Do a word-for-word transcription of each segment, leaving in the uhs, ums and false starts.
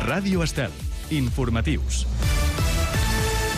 Ràdio Estel. Informatius.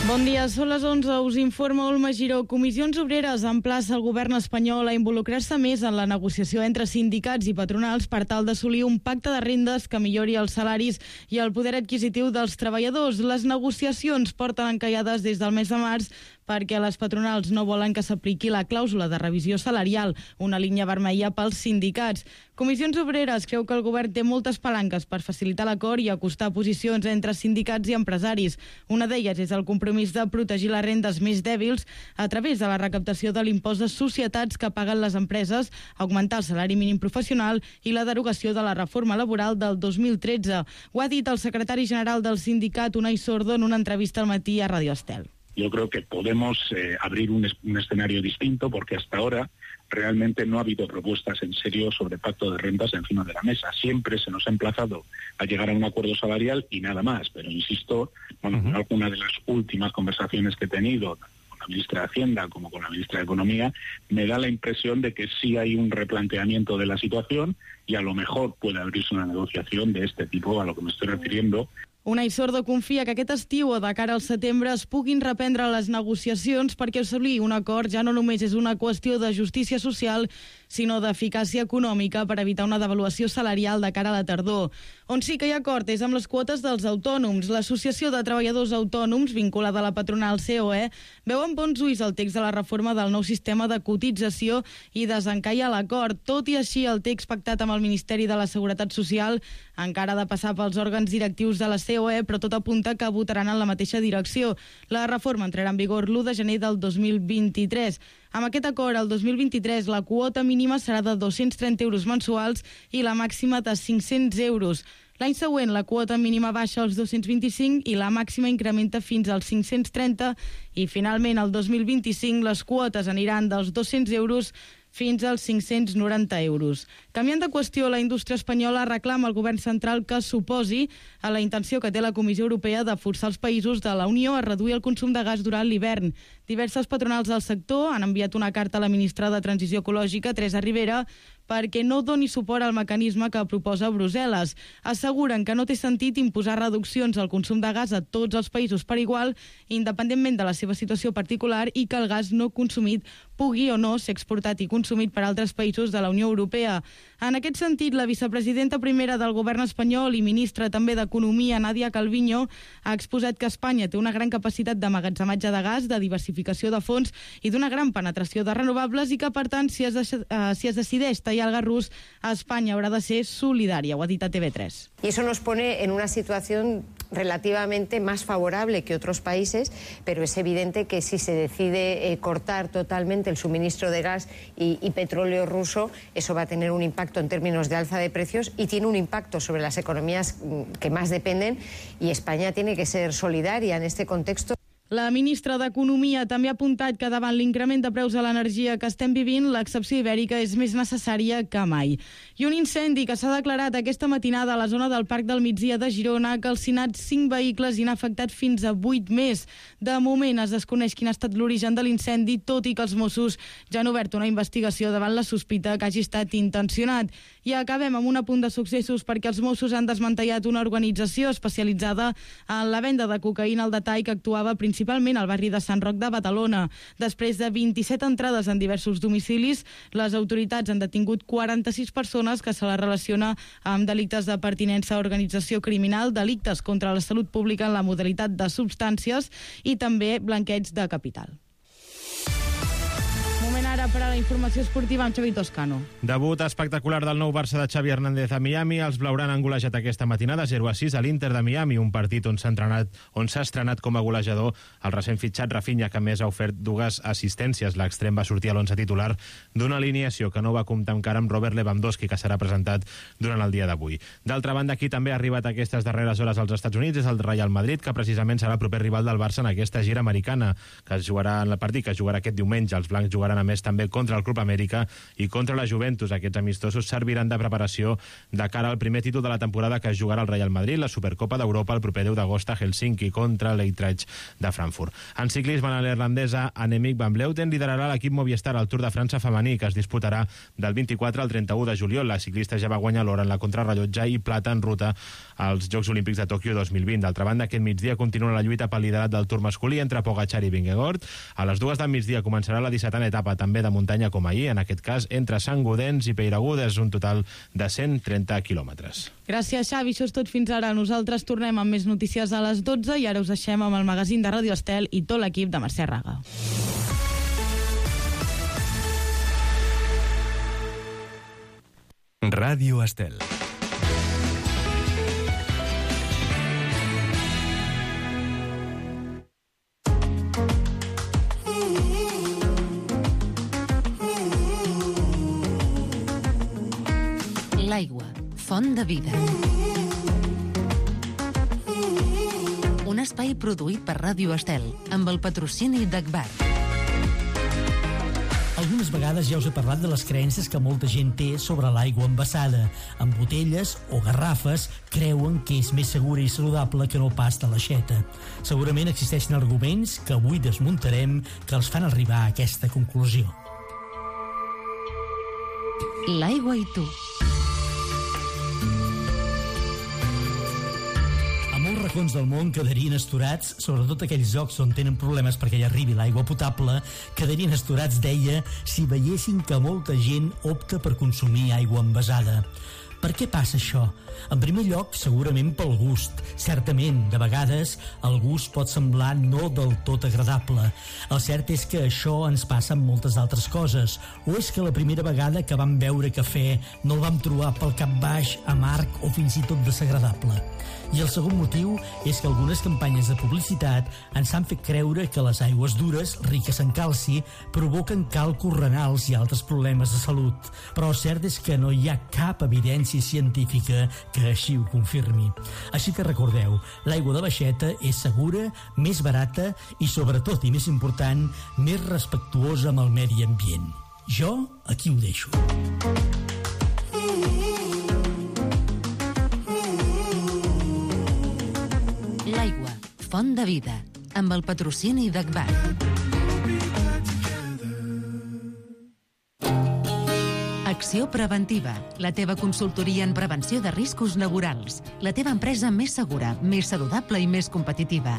Bon dia, són les onze, us informa Olma Giró. Comissions Obreres emplaça el govern espanyol a involucrar-se més en la negociació entre sindicats i patronals per tal d'assolir un pacte de rendes que millori els salaris i el poder adquisitiu dels treballadors. Les negociacions porten encallades des del mes de març perquè les patronals no volen que s'apliqui la clàusula de revisió salarial, una línia vermella pels sindicats. Comissions Obreres creu que el govern té moltes palanques per facilitar l'acord i acostar posicions entre sindicats i empresaris. Una d'elles és el compromís de protegir les rendes més dèbils a través de la recaptació de l'impost de societats que paguen les empreses, augmentar el salari mínim professional i la derogació de la reforma laboral del dos mil tretze. Ho ha dit el secretari general del sindicat, Unai Sordo, en una entrevista al matí a Radio Estel. Yo creo que podemos eh, abrir un, un escenario distinto porque hasta ahora realmente no ha habido propuestas en serio sobre pacto de rentas encima de la mesa. Siempre se nos ha emplazado a llegar a un acuerdo salarial y nada más. Pero insisto, bueno, uh-huh. en alguna de las últimas conversaciones que he tenido con la ministra de Hacienda como con la ministra de Economía, me da la impresión de que sí hay un replanteamiento de la situación y a lo mejor puede abrirse una negociación de este tipo a lo que me estoy refiriendo. Unai Sordo confia que aquest estiu o de cara al setembre es puguin reprendre les negociacions perquè assolir un acord ja no només és una qüestió de justícia social, sinó d'eficàcia econòmica per evitar una devaluació salarial de cara a la tardor. On sí que hi ha acord és amb les quotes dels autònoms. L'Associació de Treballadors Autònoms, vinculada a la patronal C O E, veu amb bons ulls el text de la reforma del nou sistema de cotització i desencalla l'acord. Tot i així, el text pactat amb el Ministeri de la Seguretat Social encara ha de passar pels òrgans directius de la C O E, però tot apunta que votaran en la mateixa direcció. La reforma entrarà en vigor l'u de gener del dos mil vint-i-tres. Amb aquest acord, el dos mil vint-i-tres, la quota mínima serà de dos-cents trenta euros mensuals i la màxima de cinc-cents euros. L'any següent, la quota mínima baixa als dos-cents vint-i-cinc i la màxima incrementa fins als cinc-cents trenta i, finalment, el dos mil vint-i-cinc, les quotes aniran dels dos-cents euros fins als cinc-cents noranta euros. Canviant de qüestió, la indústria espanyola reclama al govern central que s'oposi a la intenció que té la Comissió Europea de forçar els països de la Unió a reduir el consum de gas durant l'hivern. Diverses patronals del sector han enviat una carta a la ministra de Transició Ecològica, Teresa Ribera, perquè no doni suport al mecanisme que proposa Brussel·les. Asseguren que no té sentit imposar reduccions al consum de gas a tots els països per igual, independentment de la seva situació particular, i que el gas no consumit pugui o no ser exportat i consumit per altres països de la Unió Europea. En aquest sentit, la vicepresidenta primera del govern espanyol i ministra també d'Economia, Nadia Calviño, ha exposat que Espanya té una gran capacitat d'emmagatzematge de gas, de diversificació de fonts i d'una gran penetració de renovables i que, per tant, si es, de, uh, si es decideix tallar el gas rus, a Espanya haurà de ser solidària, ho ha dit a T V tres. Y eso nos pone en una situación relativamente más favorable que otros países, pero es evidente que si se decide eh, cortar totalmente el suministro de gas y, y petróleo ruso, eso va a tener un impacto en términos de alza de precios y tiene un impacto sobre las economías que más dependen, y España tiene que ser solidaria en este contexto. La ministra d'Economia també ha apuntat que davant l'increment de preus de l'energia que estem vivint, l'excepció ibèrica és més necessària que mai. I un incendi que s'ha declarat aquesta matinada a la zona del Parc del Migdia de Girona ha calcinat cinc vehicles i n'ha afectat fins a vuit més. De moment es desconeix quin ha estat l'origen de l'incendi, tot i que els Mossos ja han obert una investigació davant la sospita que hagi estat intencionat. I acabem amb un apunt de successos perquè els Mossos han desmantellat una organització especialitzada en la venda de cocaïna al detall que actuava principalment principalment al barri de Sant Roc de Badalona. Després de vint-i-set entrades en diversos domicilis, les autoritats han detingut quaranta-sis persones que se les relaciona amb delictes de pertinença a organització criminal, delictes contra la salut pública en la modalitat de substàncies i també blanqueig de capital. Moment ara per a la informació esportiva amb Xavi Toscano. Debut espectacular del nou Barça de Xavi Hernández a Miami. Els blaugrana han golejat aquesta matinada zero a sis a l'Inter de Miami, un partit on s'ha entrenat, on s'ha estrenat com a golejador el recent fitxat Rafinha, que més ha ofert dues assistències. L'extrem va sortir a l'onze titular d'una alineació que no va comptar encara amb Robert Lewandowski, que serà presentat durant el dia d'avui. D'altra banda, qui també ha arribat a aquestes darreres hores als Estats Units és el Real Madrid, que precisament serà el proper rival del Barça en aquesta gira americana, que es jugarà en el partit que es jugarà aquest diumenge. Els blancs jugaran a més també també contra el Club Amèrica i contra la Juventus. Aquests amistosos serviran de preparació de cara al primer títol de la temporada que es jugarà al Real Madrid, la Supercopa d'Europa, el proper deu d'agost a Helsinki contra l'Eintracht de Frankfurt. En ciclisme, la neerlandesa Annemiek van Vleuten liderarà l'equip Movistar al Tour de França femení, que es disputarà del vint-i-quatre al trenta-u de juliol. La ciclista ja va guanyar l'or en la contrarrellotge i plata en ruta als Jocs Olímpics de Tòquio dos mil vint. D'altra banda, aquest migdia continua la lluita pel liderat del Tour masculí entre Pogačar i Vingegaard. A les dues del migdia començarà la dissetena etapa, també de muntanya com ahir, en aquest cas entre Sant Gaudens i Peyragudes, un total de cent trenta quilòmetres. Gràcies, Xavi. Això és tot fins ara. Nosaltres tornem amb més notícies a les dotze i ara us deixem amb el magazín de Ràdio Estel i tot l'equip de Mercè Raga. Ràdio Estel. L'aigua, font de vida. Un espai produït per Ràdio Estel, amb el patrocini d'Agbar. Algunes vegades ja us he parlat de les creences que molta gent té sobre l'aigua envasada. En botelles o garrafes creuen que és més segura i saludable que no pas de l'aixeta. Segurament existeixen arguments que avui desmuntarem que els fan arribar a aquesta conclusió. L'aigua i tu. Molts racons del món quedarien astorats, sobretot aquells llocs on tenen problemes perquè hi arribi l'aigua potable, quedarien astorats, deia, si veiessin que molta gent opta per consumir aigua envasada. Per què passa això? En primer lloc, segurament pel gust. Certament, de vegades, el gust pot semblar no del tot agradable. El cert és que això ens passa amb moltes altres coses. O és que la primera vegada que vam beure cafè no el vam trobar pel cap baix, amarg o fins i tot desagradable. I el segon motiu és que algunes campanyes de publicitat ens han fet creure que les aigües dures, riques en calci, provoquen calcos renals i altres problemes de salut. Però el cert és que no hi ha cap evidència científica que així ho confirmi. Així que recordeu, l'aigua de baixeta és segura, més barata i, sobretot i més important, més respectuosa amb el medi ambient. Jo aquí ho deixo. L'aigua, font de vida, amb el patrocini d'Agbar. Acció Preventiva, la teva consultoria en prevenció de riscos laborals. La teva empresa més segura, més saludable i més competitiva.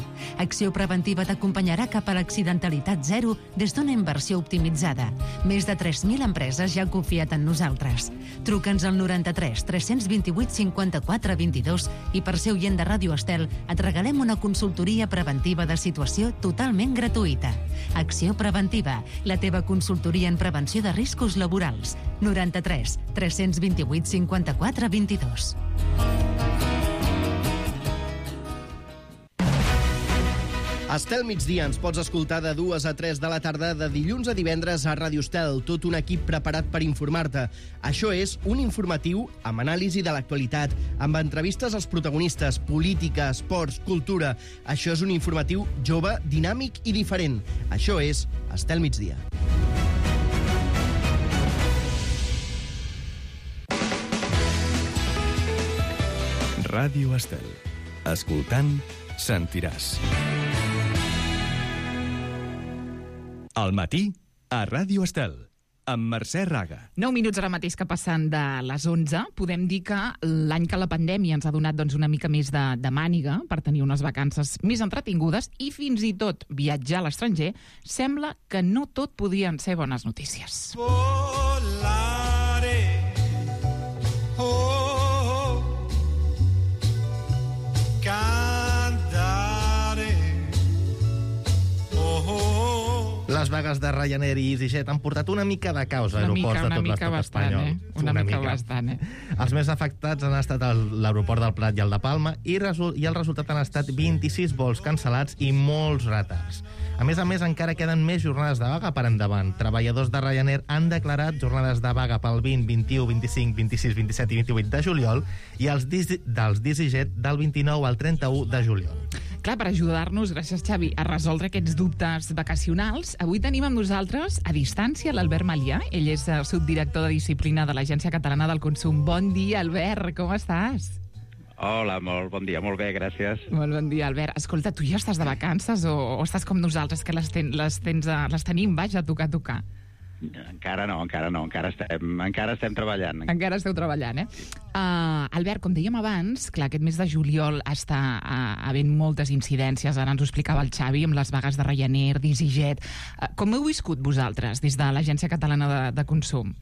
Acció Preventiva t'acompanyarà cap a l'accidentalitat zero des d'una inversió optimitzada. Més de tres mil empreses ja han confiat en nosaltres. Truca'ns al noranta-tres tres-cents vint-i-vuit cinquanta-quatre vint-i-dos i per ser oient de Ràdio Estel et regalem una consultoria preventiva de situació totalment gratuïta. Acció Preventiva, la teva consultoria en prevenció de riscos laborals. noranta-tres tres-cents vint-i-vuit cinquanta-quatre vint-i-dos. Estel migdia ens pots escoltar de dues a tres de la tarda de dilluns a divendres a Ràdio Estel, tot un equip preparat per informar-te. Això és un informatiu amb anàlisi de l'actualitat, amb entrevistes als protagonistes, política, esports, cultura. Això és un informatiu jove, dinàmic i diferent. Això és Estel migdia. Ràdio Estel. Escoltant, sentiràs. Al matí, a Ràdio Estel, amb Mercè Raga. Nou minuts ara mateix que passen de les onze. Podem dir que l'any que la pandèmia ens ha donat doncs, una mica més de, de màniga per tenir unes vacances més entretingudes i fins i tot viatjar a l'estranger, sembla que no tot podien ser bones notícies. Volare, oh, cantare, oh, oh. Les vagues de Ryanair i EasyJet han portat una mica de caos a aeroports de tot l'estat espanyol. Eh? Una, una mica, mica bastant, eh? Els més afectats han estat l'aeroport del Prat i el de Palma i, resol i el resultat han estat vint-i-sis vols cancel·lats i molts retards. A més a més, encara queden més jornades de vaga per endavant. Treballadors de Ryanair han declarat jornades de vaga pel vint, vint-i-u, vint-i-cinc, vint-i-sis, vint-i-set i vint-i-vuit de juliol i els dels d'EasyJet del vint-i-nou al trenta-u de juliol. Clar, per ajudar-nos, gràcies Xavi, a resoldre aquests dubtes vacacionals, avui tenim amb nosaltres, a distància, l'Albert Malià. Ell és el subdirector de disciplina de l'Agència Catalana del Consum. Bon dia, Albert, com estàs? Hola, molt bon dia, molt bé, gràcies. Molt bon dia, Albert. Escolta, tu ja estàs de vacances o, o estàs com nosaltres, que les, ten, les, tens a, les tenim, vaja, a tocar, a tocar? Encara no, encara no, encara estem, encara estem treballant. Encara esteu treballant, eh? Uh, Albert, com dèiem abans, clar, aquest mes de juliol està uh, havent moltes incidències, ara ens ho explicava el Xavi, amb les vagues de Ryanair, d'EasyJet. Uh, com heu viscut vosaltres des de l'Agència Catalana de, de Consum?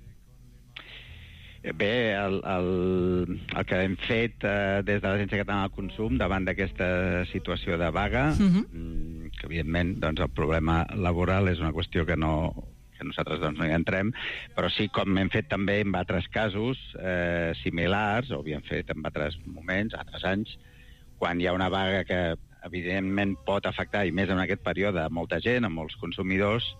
Bé, el, el, el que hem fet eh, des de l'Agència Catalana del Consum davant d'aquesta situació de vaga, uh-huh. que evidentment doncs, el problema laboral és una qüestió que, no, que nosaltres doncs, no hi entrem, però sí, com hem fet també en altres casos eh, similars, o havíem fet en altres moments, altres anys, quan hi ha una vaga que evidentment pot afectar, i més en aquest període, molta gent, a molts consumidors.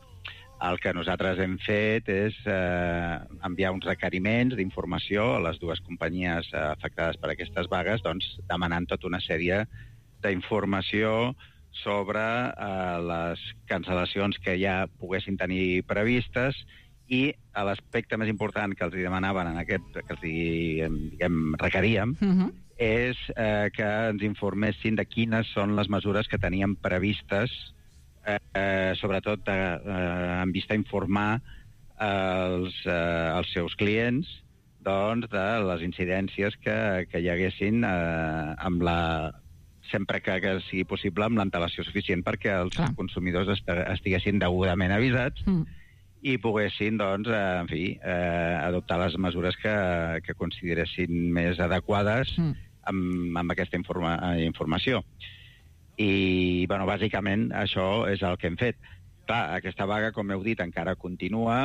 El que nosaltres hem fet és eh, enviar uns requeriments d'informació a les dues companyies eh, afectades per aquestes vagues, doncs, demanant tota una sèrie d'informació sobre eh, les cancel·lacions que ja poguessin tenir previstes i l'aspecte més important que els demanaven en aquest, que els diguem, requeríem, uh-huh. és eh, que ens informessin de quines són les mesures que teníem previstes Eh, sobretot eh, en vista a informar els, eh, els seus clients doncs, de les incidències que, que hi haguessin eh, amb la, sempre que, que sigui possible amb l'antelació suficient perquè els Clar. consumidors est estiguessin degudament avisats mm. i poguessin doncs, eh, en fi, eh, adoptar les mesures que, que consideressin més adequades mm. amb, amb aquesta informa informació. I, bueno, bàsicament, això és el que hem fet. Clar, aquesta vaga, com heu dit, encara continua,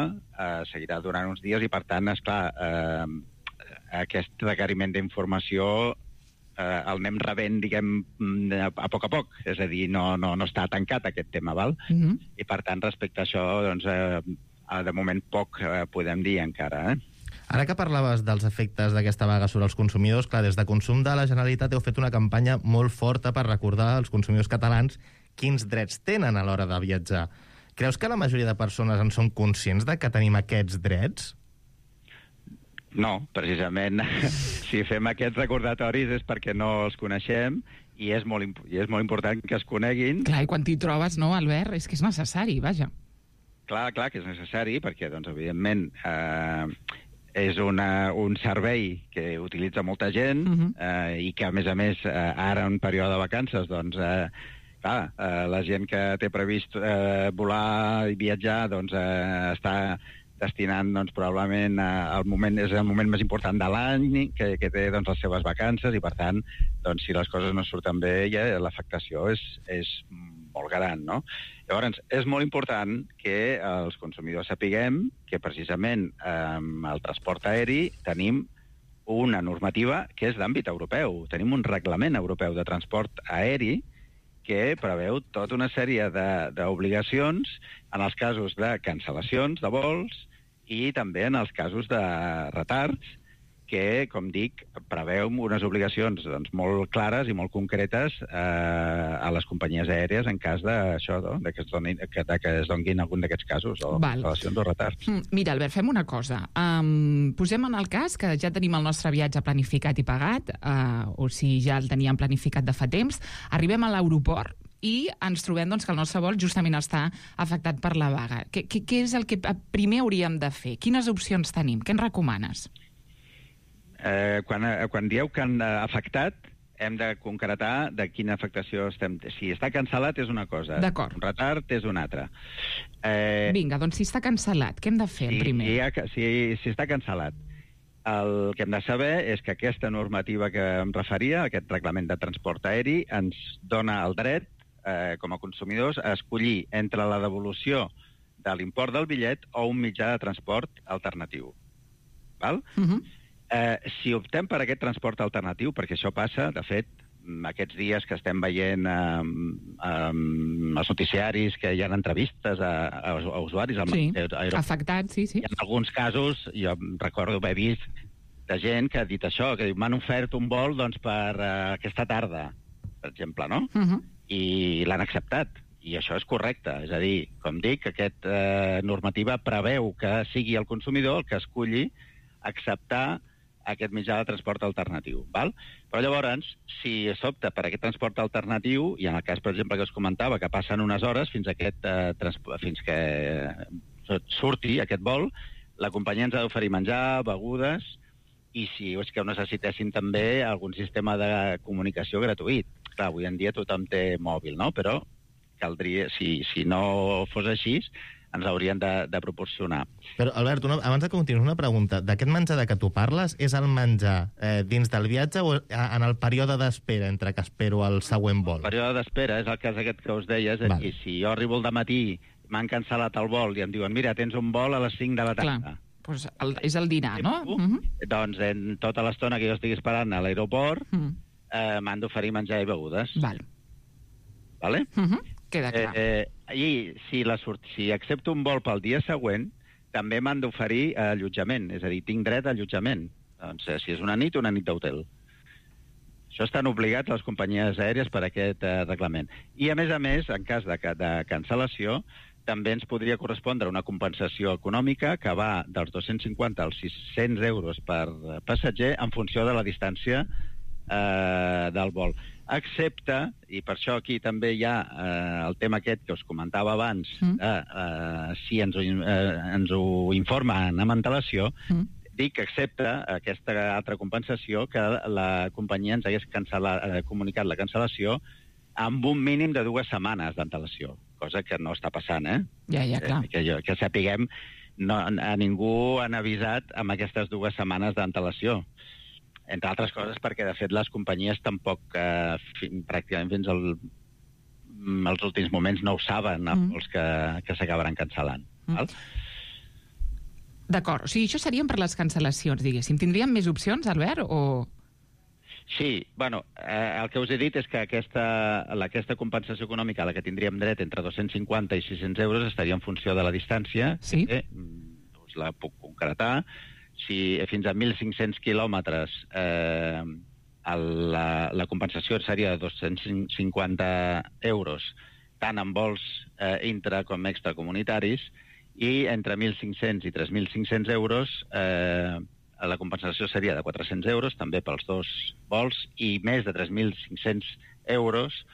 eh, seguirà durant uns dies i, per tant, esclar, eh, aquest requeriment d'informació eh, el anem rebent, diguem, a poc a poc. És a dir, no, no, no està tancat aquest tema, val? Mm-hmm. I, per tant, respecte a això, doncs, eh, de moment poc eh, podem dir encara, eh? Ara que parlaves dels efectes d'aquesta vaga sobre els consumidors, clar, des de Consum de la Generalitat heu fet una campanya molt forta per recordar als consumidors catalans quins drets tenen a l'hora de viatjar. Creus que la majoria de persones en són conscients de que tenim aquests drets? No, precisament, si fem aquests recordatoris és perquè no els coneixem i és molt, i és molt important que es coneguin. Clar, i quan t'hi trobes, no, Albert? És que és necessari, vaja. Clar, clar que és necessari perquè, doncs, evidentment, eh, és una, un servei que utilitza molta gent uh-huh. eh, i que, a més a més, eh, ara en període de vacances, doncs, eh, clar, eh, la gent que té previst eh, volar i viatjar, doncs, eh, està destinant, doncs, probablement eh, el moment, és el moment més important de l'any que, que té, doncs, les seves vacances i, per tant, doncs, si les coses no surten bé, ja l'afectació és, és molt gran, no? Llavors, és molt important que els consumidors sapiguem que precisament amb el transport aeri tenim una normativa que és d'àmbit europeu. Tenim un reglament europeu de transport aeri que preveu tota una sèrie d'obligacions en els casos de cancel·lacions de vols i també en els casos de retards que, com dic, preveu unes obligacions doncs, molt clares i molt concretes eh, a les companyies aèries en cas d'això, no? de que es donin, que, de que es donguin algun d'aquests casos o cancel·lacions o retards. Mira, Albert, fem una cosa. Um, posem en el cas que ja tenim el nostre viatge planificat i pagat, uh, o si ja el teníem planificat de fa temps, arribem a l'aeroport i ens trobem doncs, que el nostre vol justament està afectat per la vaga. Què, què, què és el que primer hauríem de fer? Quines opcions tenim? Què ens recomanes? Eh, quan, quan dieu que han afectat, hem de concretar de quina afectació estem... Si està cancel·lat és una cosa, un retard és una altra. Eh, Vinga, doncs si està cancel·lat, què hem de fer si, primer? Si, ha, si, si està cancel·lat, el que hem de saber és que aquesta normativa que em referia, aquest reglament de transport aeri, ens dona el dret, eh, com a consumidors, a escollir entre la devolució de l'import del bitllet o un mitjà de transport alternatiu. Val? Uh-huh. Eh, si optem per aquest transport alternatiu, perquè això passa, de fet, aquests dies que estem veient eh, eh, els noticiaris que hi ha entrevistes a, a, a usuaris... Sí, aer... afectats, sí, sí. I en alguns casos, jo recordo haver vist de gent que ha dit això, que m'han ofert un vol doncs, per uh, aquesta tarda, per exemple, no? Uh-huh. i l'han acceptat. I això és correcte. És a dir, com dic, aquesta eh, normativa preveu que sigui el consumidor el que esculli acceptar aquest mitjà de transport alternatiu. Val? Però llavors, si s'opta per aquest transport alternatiu, i en el cas, per exemple, que us comentava, que passen unes hores fins, a aquest, eh, fins que surti aquest vol, la companyia ens ha d'oferir menjar, begudes, i si és que ho necessitessin també algun sistema de comunicació gratuït. Clar, avui en dia tothom té mòbil, no? Però caldria, si, si no fos així, ens haurien de, de proporcionar. Però, Albert, una, abans de continuar, una pregunta. D'aquest menjar de què tu parles, és el menjar eh, dins del viatge o en el període d'espera entre que espero el següent vol? El període d'espera és el cas aquest que us deia, és a dir, si jo arribo al dematí, m'han cancel·lat el vol i em diuen, mira, tens un vol a les cinc de la tarda. Clar, doncs el, és el dinar, no? Uh -huh. Doncs en tota l'estona que jo estigui esperant a l'aeroport, uh -huh. eh, m'han d'oferir menjar i begudes. Val. Vale? Uh -huh. Queda clar. Eh, eh, I si, la, si accepto un vol pel dia següent, també m'han d'oferir allotjament, és a dir, tinc dret a allotjament. Doncs, eh, si és una nit, una nit d'hotel. Això estan obligats les companyies aèries per aquest eh, reglament. I, a més a més, en cas de, de cancel·lació, també ens podria correspondre una compensació econòmica que va dels dos-cents cinquanta als sis-cents euros per passatger en funció de la distància eh, del vol. Excepte, i per això aquí també hi ha eh, el tema aquest que us comentava abans, mm. eh, eh, si ens ho, eh, ens ho informen amb antelació, mm. dic que excepte aquesta altra compensació que la companyia ens hagués eh, comunicat la cancel·lació amb un mínim de dues setmanes d'antelació, cosa que no està passant, eh? Ja, ja, clar. Eh, que, jo, que sapiguem, no, a ningú han avisat amb aquestes dues setmanes d'antelació. Entre altres coses perquè, de fet, les companyies tampoc, eh, fin, pràcticament fins al, als últims moments, no ho saben, mm. els que, que s'acabaran cancel·lant. Mm. Val? D'acord. O sigui, això serien per les cancel·lacions, diguéssim. Tindríem més opcions, Albert, o...? Sí, bueno, eh, el que us he dit és que aquesta, aquesta compensació econòmica a la que tindríem dret entre dos-cents cinquanta i sis-cents euros estaria en funció de la distància. Sí. Eh, us la puc concretar. Si fins a mil cinc-cents quilòmetres eh, la, la compensació seria de dos-cents cinquanta euros, tant en vols eh, intra com extracomunitaris, i entre mil cinc-cents i tres mil cinc-cents euros eh, la compensació seria de quatre-cents euros, també pels dos vols, i més de tres mil cinc-cents euros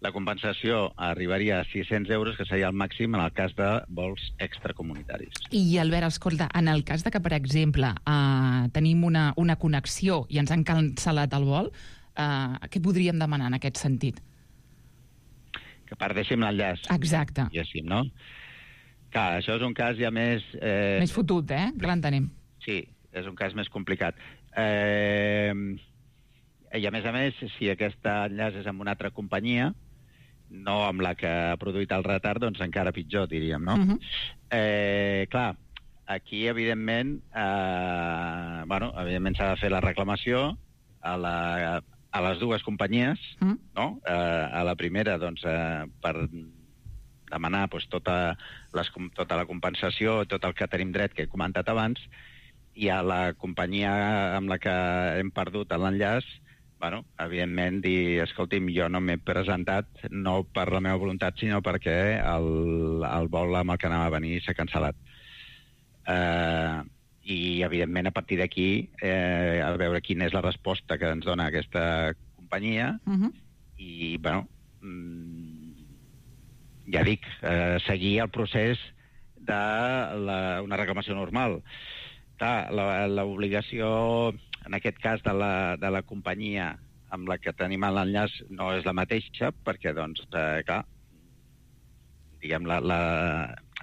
la compensació arribaria a sis-cents euros, que seria el màxim en el cas de vols extracomunitaris. I, Albert, escolta, en el cas de que, per exemple, eh, tenim una, una connexió i ens han cancel·lat el vol, eh, què podríem demanar en aquest sentit? Que perdéssim l'enllaç. Exacte. Diguéssim, no? Clar, això és un cas ja més... Eh... Més fotut, eh? Que l'entenem. Sí, és un cas més complicat. Eh... I, a més a més, si aquest enllaç és amb una altra companyia, no amb la que ha produït el retard, doncs encara pitjor, diríem, no? Uh-huh. eh, clar, aquí, evidentment, eh, bueno, evidentment s'ha de fer la reclamació a, la, a les dues companyies, uh-huh. no? Eh, a la primera, doncs, eh, per demanar doncs, tota, les, tota la compensació, tot el que tenim dret, que he comentat abans, i a la companyia amb la que hem perdut l'enllaç, bueno, evidentment, dir, escolti'm, jo no m'he presentat, no per la meva voluntat, sinó perquè el, el vol amb el que anava a venir s'ha cancel·lat. Eh, I, evidentment, a partir d'aquí, eh, a veure quina és la resposta que ens dona aquesta companyia, uh-huh. i, bueno, ja dic, eh, seguir el procés d'una reclamació normal. Clar, l'obligació, en aquest cas, de la, de la companyia amb la que tenim l'enllaç no és la mateixa, perquè, doncs, eh, clar, diguem, la, la,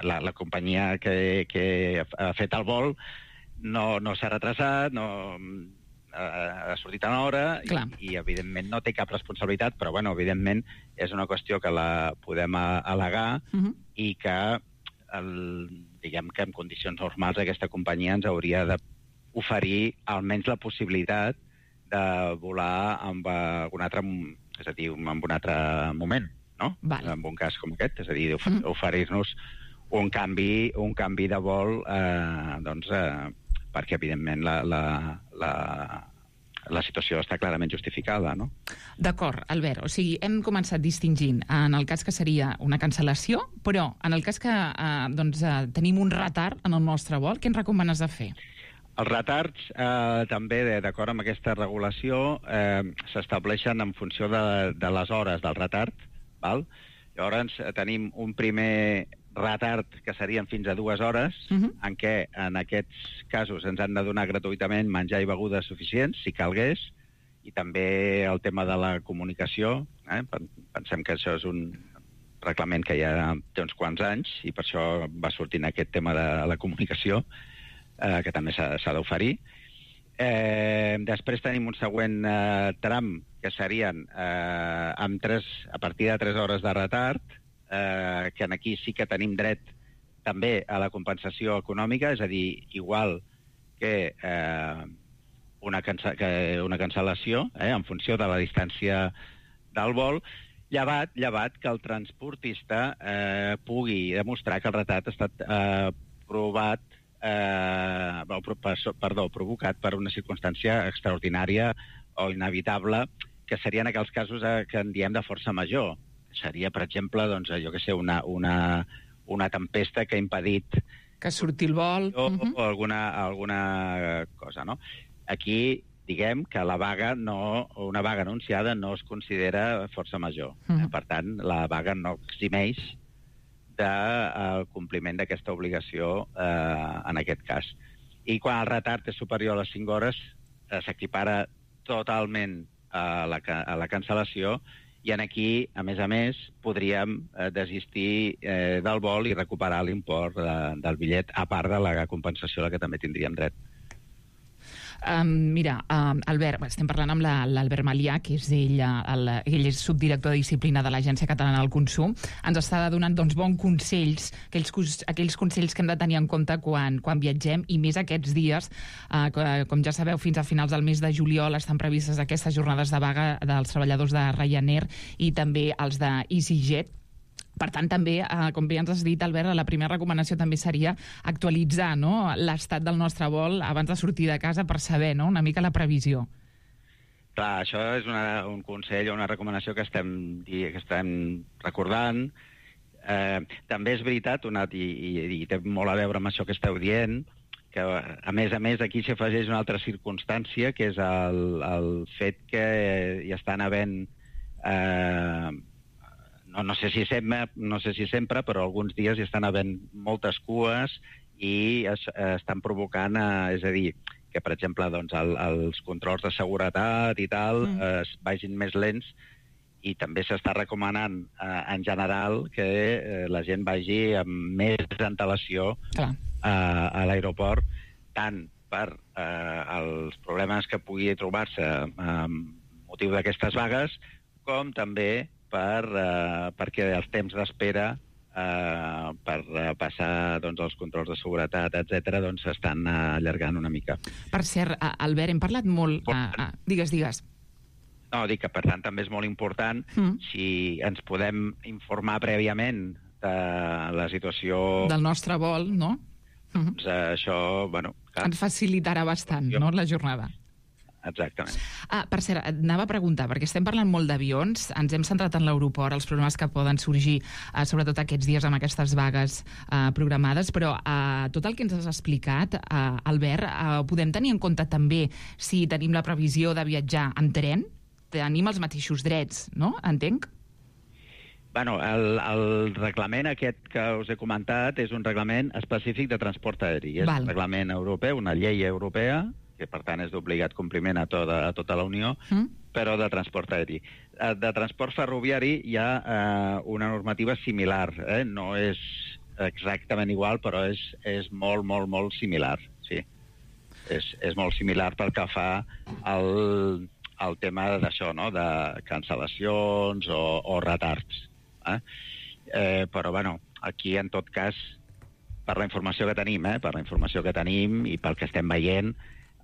la, la companyia que, que ha fet el vol no, no s'ha retrasat, no ha sortit a l'hora i, i, evidentment, no té cap responsabilitat, però, bueno, evidentment, és una qüestió que la podem al·legar uh-huh. i que, el, diguem que en condicions normals aquesta companyia ens hauria d'oferir almenys la possibilitat de volar amb algun altre, és a dir, en un altre moment, no? Vale. En un cas com aquest, és a dir, ofer- oferir-nos un canvi, un canvi de vol, eh, doncs, eh, perquè, evidentment, la, la, la, la situació està clarament justificada, no? D'acord, Albert. O sigui, hem començat distingint en el cas que seria una cancel·lació, però en el cas que eh, doncs, eh, tenim un retard en el nostre vol, què ens recomanes de fer? Els retards, eh, també, d'acord amb aquesta regulació, eh, s'estableixen en funció de, de les hores del retard. Val? Llavors, eh, tenim un primer retard que serien fins a dues hores, uh-huh. en què en aquests casos ens han de donar gratuïtament menjar i begudes suficients, si calgués, i també el tema de la comunicació. Eh? Pensem que això és un reglament que ja té uns quants anys, i per això va sortint aquest tema de la comunicació, Eh, que també s'ha d'oferir. Eh, després tenim un següent eh, tram, que serien eh, amb tres, a partir de tres hores de retard, eh, que aquí sí que tenim dret també a la compensació econòmica, és a dir, igual que, eh, una, cansa que una cancel·lació, eh, en funció de la distància del vol, llevat, llevat que el transportista eh, pugui demostrar que el retard ha estat eh, provat Eh, perdó, provocat per una circumstància extraordinària o inevitable, que seria en aquells casos eh, que en diem de força major. Seria, per exemple, doncs, jo que sé, una, una, una tempesta que ha impedit que surti el vol o, uh-huh. o alguna, alguna cosa, no? Aquí, diguem que la vaga no, una vaga anunciada no es considera força major. Uh-huh. Per tant, la vaga no eximeix del compliment d'aquesta obligació eh, en aquest cas. I quan el retard és superior a les cinc hores, eh, s'equipara totalment a la, a la cancel·lació, i en aquí, a més a més, podríem eh, desistir eh, del vol i recuperar l'import de, del bitllet, a part de la compensació a la que també tindríem dret. Um, mira, um, Albert, estem parlant amb l'Albert Malià, que és ell, el, ell és subdirector de disciplina de l'Agència Catalana del Consum. Ens està donant doncs, bons consells, aquells, aquells consells que hem de tenir en compte quan, quan viatgem, i més aquests dies. Uh, com ja sabeu, fins a finals del mes de juliol estan previstes aquestes jornades de vaga dels treballadors de Ryanair i també els de EasyJet. Per tant, també, eh, com bé ens has dit, Albert, la primera recomanació també seria actualitzar, no?, l'estat del nostre vol abans de sortir de casa per saber, no?, una mica la previsió. Clar, això és una, un consell o una recomanació que estem, que estem recordant. Eh, també és veritat, una, i, i, i té molt a veure amb això que esteu dient, que a més a més aquí s'afegeix una altra circumstància, que és el, el fet que hi estan havent... Eh, No, no, sé si sempre, no sé si sempre, però alguns dies hi estan havent moltes cues i es, estan provocant, eh, és a dir, que, per exemple, doncs, el, els controls de seguretat i tal mm. eh, es vagin més lents, i també s'està recomanant, eh, en general, que eh, la gent vagi amb més antelació eh, a l'aeroport, tant per eh, els problemes que pugui trobar-se amb motiu d'aquestes vagues, com també per, uh, perquè els temps d'espera uh, per uh, passar doncs, els controls de seguretat, etcètera, doncs s'estan uh, allargant una mica. Per cert, Albert, hem parlat molt... Uh, uh, digues, digues. No, dic que per tant també és molt important mm. si ens podem informar prèviament de la situació... Del nostre vol, no? Doncs uh, això, bueno... Clar, ens facilitarà bastant, jo... no?, la jornada. Exactament. Ah, per cert, anava a preguntar, perquè estem parlant molt d'avions, ens hem centrat en l'aeroport, els problemes que poden sorgir, eh, sobretot aquests dies amb aquestes vagues eh, programades, però eh, tot el que ens has explicat, eh, Albert, eh, podem tenir en compte també si tenim la previsió de viatjar en tren? Tenim els mateixos drets, no? Entenc? Bueno, el, el reglament aquest que us he comentat és un reglament específic de transport aeri. És Val. un reglament europeu, una llei europea, que per tant és d'obligat compliment a tota, a tota la Unió, mm. però de transport aeri. De transport ferroviari hi ha eh, una normativa similar, eh? No és exactament igual, però és, és molt, molt, molt similar, sí. És, és molt similar pel que fa al, al tema d'això, no?, de cancel·lacions o, o retards. Eh? Eh, però, bueno, aquí, en tot cas, per la informació que tenim, eh? per la informació que tenim i pel que estem veient,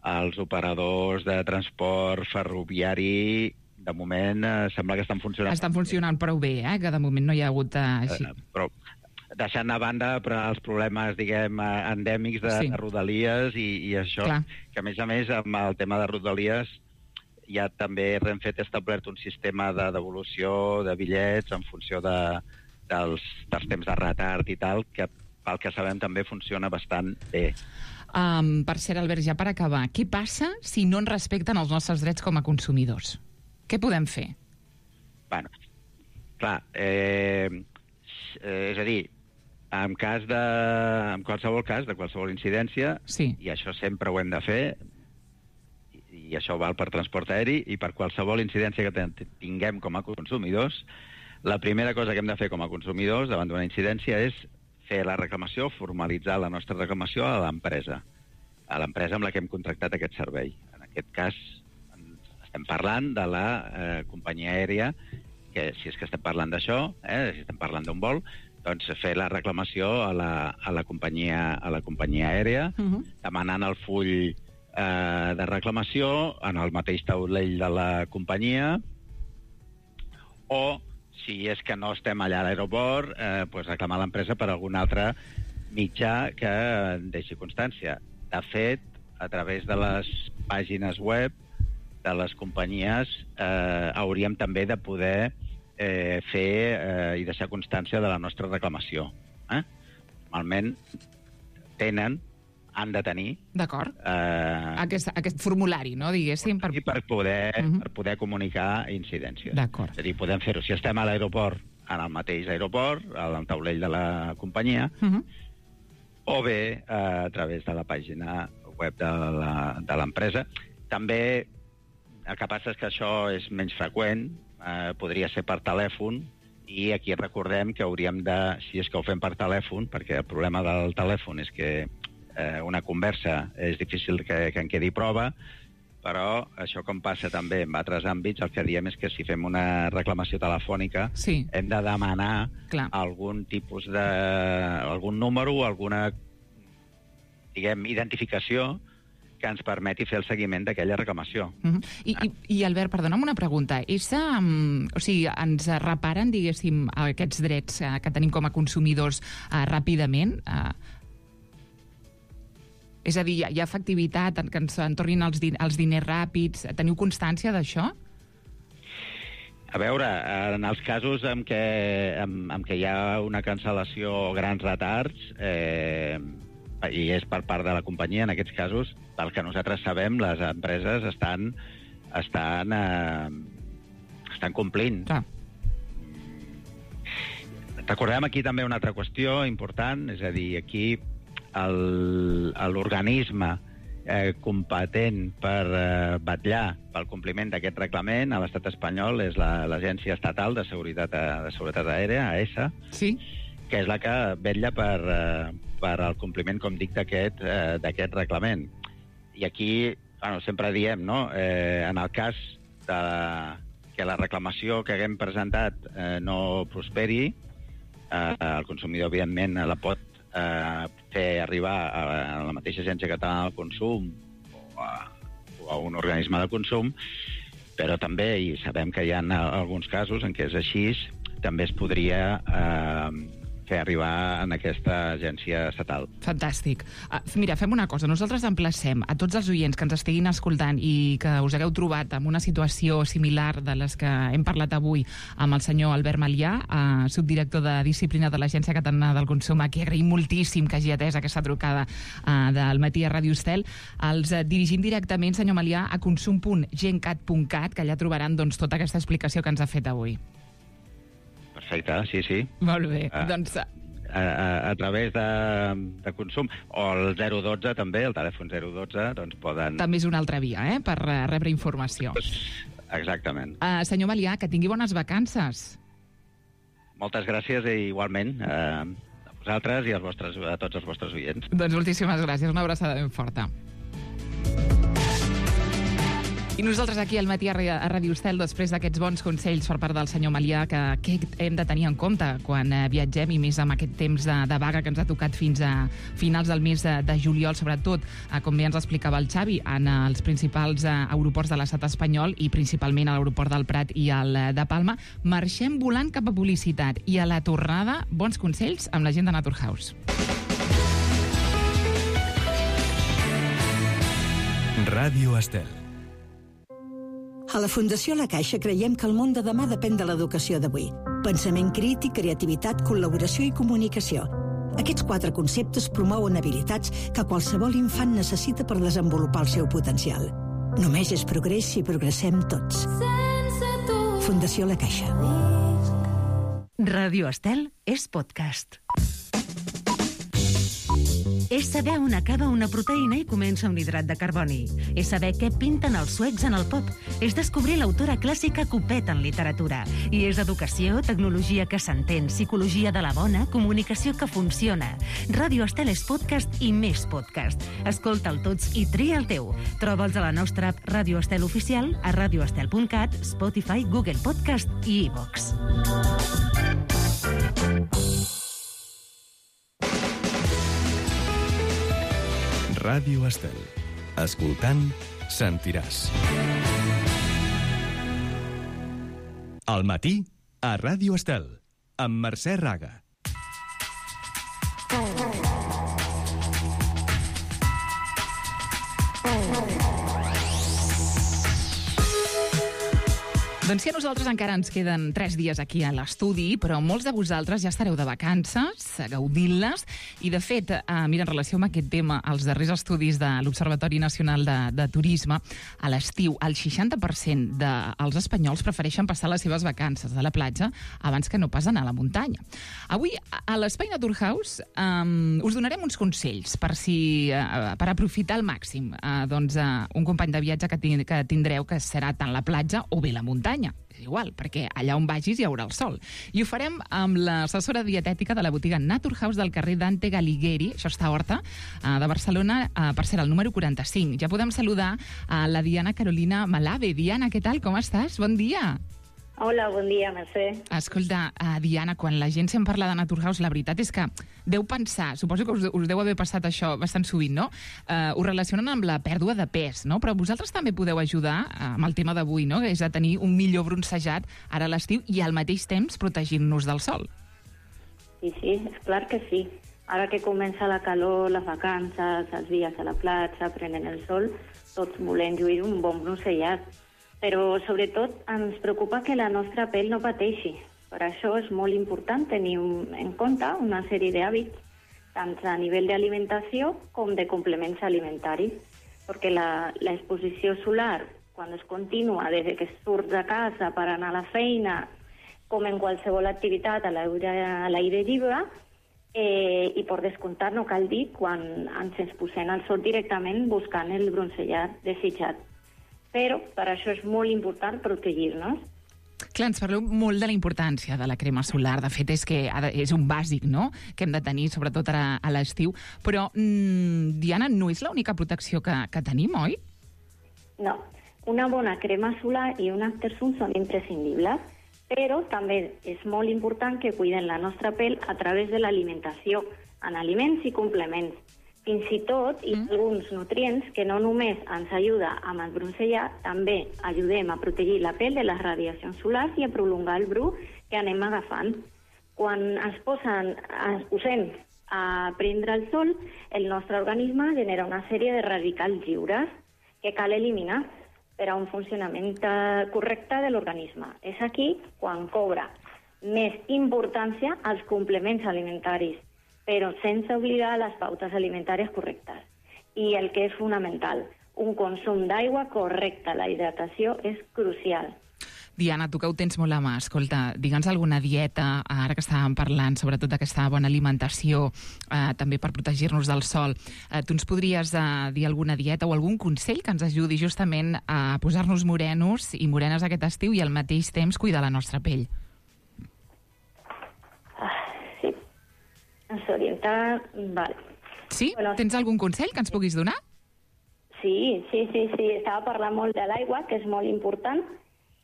els operadors de transport ferroviari, de moment, eh, sembla que estan funcionant... Estan funcionant prou bé, eh? Que de moment no hi ha hagut... Eh, així. Eh, però deixant a banda però els problemes, diguem, endèmics de, sí. de Rodalies i, i això, Clar. que a més a més, amb el tema de Rodalies, ja també Renfe té establert un sistema de devolució de bitllets en funció de, dels, dels temps de retard i tal, que pel que sabem també funciona bastant bé. Um, per cert, Albert, ja per acabar, què passa si no ens respecten els nostres drets com a consumidors? Què podem fer? Bueno, clar, eh, és a dir, en cas de, en qualsevol cas, de qualsevol incidència, sí. I això sempre ho hem de fer, i, i això val per transport aeri, i per qualsevol incidència que tinguem com a consumidors, la primera cosa que hem de fer com a consumidors davant d'una incidència és fer la reclamació, formalitzar la nostra reclamació a l'empresa, a l'empresa amb la que hem contractat aquest servei. En aquest cas, estem parlant de la eh, companyia aèria, que si és que estem parlant d'això, eh, si estem parlant d'un vol, doncs fer la reclamació a la, a la, companyia, a la companyia aèria, uh-huh. demanant el full eh, de reclamació en el mateix taulell de la companyia, o si és que no estem allà a l'aeroport, eh, pues reclamar a l'empresa per algun altre mitjà que deixi constància. De fet, a través de les pàgines web de les companyies eh, hauríem també de poder eh, fer eh, i deixar constància de la nostra reclamació. Eh? Normalment tenen, han de tenir... D'acord. Eh, aquest, aquest formulari, no, diguéssim. Per... Per poder, uh-huh. per poder comunicar incidències. D'acord. És a dir, podem fer-ho si estem a l'aeroport, en el mateix aeroport, al taulell de la companyia, uh-huh. o bé eh, a través de la pàgina web de l'empresa. També el que passa és que això és menys freqüent, eh, podria ser per telèfon, i aquí recordem que hauríem de, si és que ho fem per telèfon, perquè el problema del telèfon és que eh, una conversa és difícil que, que en quedi prova, però això com passa també en altres àmbits, el que diem és que si fem una reclamació telefònica sí. hem de demanar Clar. algun tipus de... algun número, alguna diguem, identificació que ens permeti fer el seguiment d'aquella reclamació. Uh-huh. I, i, I, Albert, perdona'm una pregunta. És, um, o sigui, ens reparen, diguéssim, aquests drets uh, que tenim com a consumidors uh, ràpidament? Uh, és a dir, hi ha, hi ha efectivitat en que ens en tornin els, din els diners ràpids? Teniu constància d'això? A veure, en els casos en què, en, en què hi ha una cancel·lació o grans retards, eh, i és per part de la companyia, en aquests casos, pel que nosaltres sabem, les empreses estan estan, eh, estan complint. Ah. Recordem aquí també una altra qüestió important, és a dir, aquí l'organisme eh, competent per eh, vetllar pel compliment d'aquest reglament a l'estat espanyol és l'Agència Estatal de Seguretat, de Seguretat Aèria, A E S A, sí. que és la que vetlla per, eh, per al compliment, com dic, d'aquest eh, d'aquest reglament. I aquí, bueno, sempre diem, no?, eh, en el cas de que la reclamació que haguem presentat eh, no prosperi, eh, el consumidor, evidentment, la pot eh, fer arribar a, a la mateixa Agència Catalana del Consum o a, o a un organisme de consum, però també, i sabem que hi ha alguns casos en què és així, també es podria eh, fer arribar en aquesta agència estatal. Fantàstic. Uh, mira, fem una cosa. Nosaltres emplacem a tots els oients que ens estiguin escoltant i que us hagueu trobat en una situació similar de les que hem parlat avui amb el senyor Albert Malià, uh, subdirector de Disciplina de l'Agència Catalana del Consum, a qui agraïm moltíssim que hagi atès aquesta trucada uh, del matí a Ràdio Estel. Els uh, dirigim directament, senyor Malià, a consum punt gencat punt cat, que allà trobaran doncs, tota aquesta explicació que ens ha fet avui. Perfecte, sí, sí. Molt bé, uh, doncs... A, a, a través de, de consum, o el zero dotze també, el telèfon zero dotze, doncs poden... També és una altra via, eh?, per uh, rebre informació. Exactament. Uh, senyor Malià, que tingui bones vacances. Moltes gràcies i igualment uh, a vosaltres i als vostres, a tots els vostres oients. Doncs moltíssimes gràcies, una abraçada ben forta. I nosaltres aquí al matí a Ràdio Estel, després d'aquests bons consells per part del senyor Malià, que, que hem de tenir en compte quan eh, viatgem, i més amb aquest temps de, de vaga que ens ha tocat fins a finals del mes de, de juliol, sobretot, eh, com bé ens explicava el Xavi, en eh, els principals eh, aeroports de l'estat espanyol i principalment a l'aeroport del Prat i al eh, de Palma. Marxem volant cap a publicitat i a la tornada, bons consells amb la gent de Naturhaus. Ràdio Estel. A la Fundació La Caixa creiem que el món de demà depèn de l'educació d'avui. Pensament crític, creativitat, col·laboració i comunicació. Aquests quatre conceptes promouen habilitats que qualsevol infant necessita per desenvolupar el seu potencial. Només és progrés si progressem tots. Fundació La Caixa. Ràdio Estel és podcast. És saber on acaba una proteïna i comença un hidrat de carboni. És saber què pinten els suecs en el pop. És descobrir l'autora clàssica que ho peta en literatura. I és educació, tecnologia que s'entén, psicologia de la bona, comunicació que funciona. Ràdio Estel és podcast i més podcast. Escolta'l tots i tria el teu. Troba'ls a la nostra app Ràdio Estel Oficial, a radioestel punt cat, Spotify, Google Podcast i iVox. Ràdio Estel. Escoltant, sentiràs. Al matí, a Ràdio Estel, amb Mercè Raga. Doncs sí, a nosaltres encara ens queden tres dies aquí a l'estudi, però molts de vosaltres ja estareu de vacances, gaudint-les, i de fet, eh, mira, en relació amb aquest tema, els darrers estudis de l'Observatori Nacional de, de Turisme, a l'estiu, el seixanta per cent dels espanyols prefereixen passar les seves vacances a la platja abans que no pas anar a la muntanya. Avui, a l'Espai Naturhaus, eh, us donarem uns consells per, si, eh, per aprofitar al màxim eh, doncs, eh, un company de viatge que, tin que tindreu, que serà tant la platja o bé la muntanya. És igual, perquè allà on vagis hi haurà el sol. I ho farem amb l'assessora dietètica de la botiga Naturhaus del carrer Dante Galighieri, això està a Horta, de Barcelona, per ser el número quaranta-cinc. Ja podem saludar a la Diana Carolina Malave. Diana, què tal? Com estàs? Bon dia. Hola, bon dia, Mercè. Escolta, uh, Diana, quan la gent se'n parla de Naturhaus, la veritat és que deu pensar, suposo que us, us deu haver passat això bastant sovint, no? Uh, ho relacionen amb la pèrdua de pes, no? Però vosaltres també podeu ajudar uh, amb el tema d'avui, no? És a tenir un millor bronzejat ara a l'estiu i al mateix temps protegint-nos del sol. Sí, sí, és clar que sí. Ara que comença la calor, les vacances, els dies a la platja, prenent el sol, tots volem lluir un bon bronzellat. Però, sobretot, ens preocupa que la nostra pell no pateixi. Per això és molt important tenir un, en compte una sèrie d'hàbits, tant a nivell d'alimentació com de complements alimentaris, perquè l'exposició solar, quan és contínua, des que surts de casa per anar a la feina, com en qualsevol activitat a l'aire lliure, eh, i per descomptat no cal dir quan ens exposem al sol directament buscant el bronzellat desitjat. Però per això és molt important protegir-nos. Clar, ens parleu molt de la importància de la crema solar. De fet, és que és un bàsic, no?, que hem de tenir, sobretot ara a l'estiu. Però, mmm, Diana, no és l'única protecció que, que tenim, oi? No. Una bona crema solar i un aftersun són imprescindibles, però també és molt important que cuidem la nostra pell a través de l'alimentació, en aliments i complements. Fins i tot, i mm. alguns nutrients que no només ens ajuda amb el bronzellat, també ajudem a protegir la pell de les radiacions solars i a prolongar el bru que anem agafant. Quan ens, posen, ens posem a prendre el sol, el nostre organisme genera una sèrie de radicals lliures que cal eliminar per a un funcionament correcte de l'organisme. És aquí quan cobra més importància als complements alimentaris, però sense oblidar les pautes alimentàries correctes. I el que és fonamental, un consum d'aigua correcte. La hidratació és crucial. Diana, tu que ho tens molt a mà, escolta, digue'ns alguna dieta, ara que estàvem parlant, sobretot d'aquesta bona alimentació, eh, també per protegir-nos del sol. Eh, tu ens podries eh, dir alguna dieta o algun consell que ens ajudi justament a posar-nos morenos i morenes aquest estiu i al mateix temps cuidar la nostra pell? Ens orienta... Vale. Sí? Bueno, tens algun consell que ens puguis donar? Sí, sí, sí, sí. Estava parlant molt de l'aigua, que és molt important,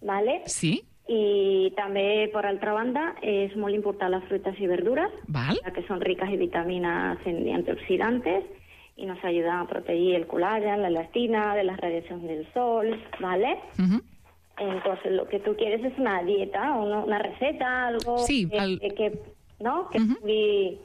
vale? Sí. I també, per altra banda, és molt important les fruites i verdures, Val. que són riques en vitaminas y antioxidantes, y nos ayudan a proteger el colágeno, la elastina, de las radiaciones del sol, ¿vale? Uh-huh. Entonces, lo que tú quieres es una dieta, una, una receta, algo sí, que, el... que, que, ¿no? que uh-huh. pugui...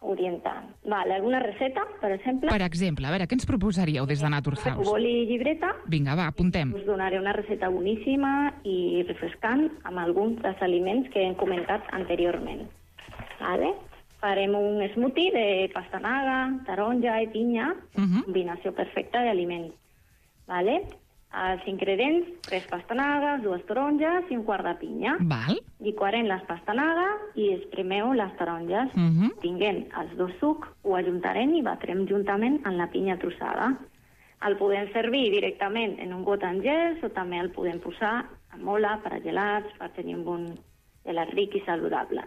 orientant. Vale, alguna receta, per exemple? Per exemple, a veure, què ens proposaríeu des de Naturhaus? Boli i llibreta. Vinga, va, apuntem. Us donaré una receta boníssima i refrescant amb alguns dels aliments que hem comentat anteriorment. Vale? Farem un smoothie de pastanaga, taronja i pinya, Uh-huh. combinació perfecta d'aliments. Vale? Els ingredients, tres pastanagues, dues taronges i un quart de pinya. Val. Liquarem les pastanagues i espremeu les taronges. Uh-huh. Tinguem els dos sucs, ho ajuntarem i batrem juntament amb la pinya trossada. El podem servir directament en un got en gels o també el podem posar a mola per a gelats, per tenir un bon gelat ric i saludable.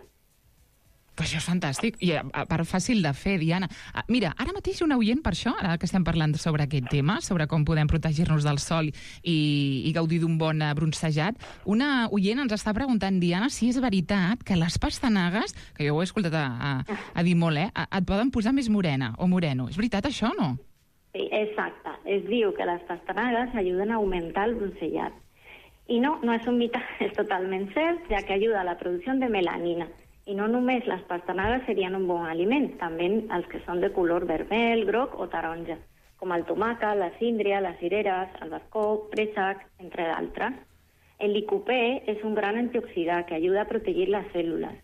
Pues això és fantàstic. I a, a part fàcil de fer, Diana. Ah, mira, ara mateix un oient per això, ara que estem parlant sobre aquest tema, sobre com podem protegir-nos del sol i, i gaudir d'un bon uh, bronzejat, una oient ens està preguntant, Diana, si és veritat que les pastanagues, que jo ho he escoltat a, a, a dir molt, eh, a, et poden posar més morena o moreno. És veritat això o no? Sí, exacte. Es diu que les pastanagues ajuden a augmentar el bronzellat. I no, no és un mite, és totalment cert, ja que ajuda a la producció de melanina. I no només les pastanagues serien un bon aliment, també els que són de color vermell, groc o taronja, com el tomàquet, la síndria, les cireres, el bascó, préssec, entre d'altres. El licopè és un gran antioxidant que ajuda a protegir les cèl·lules.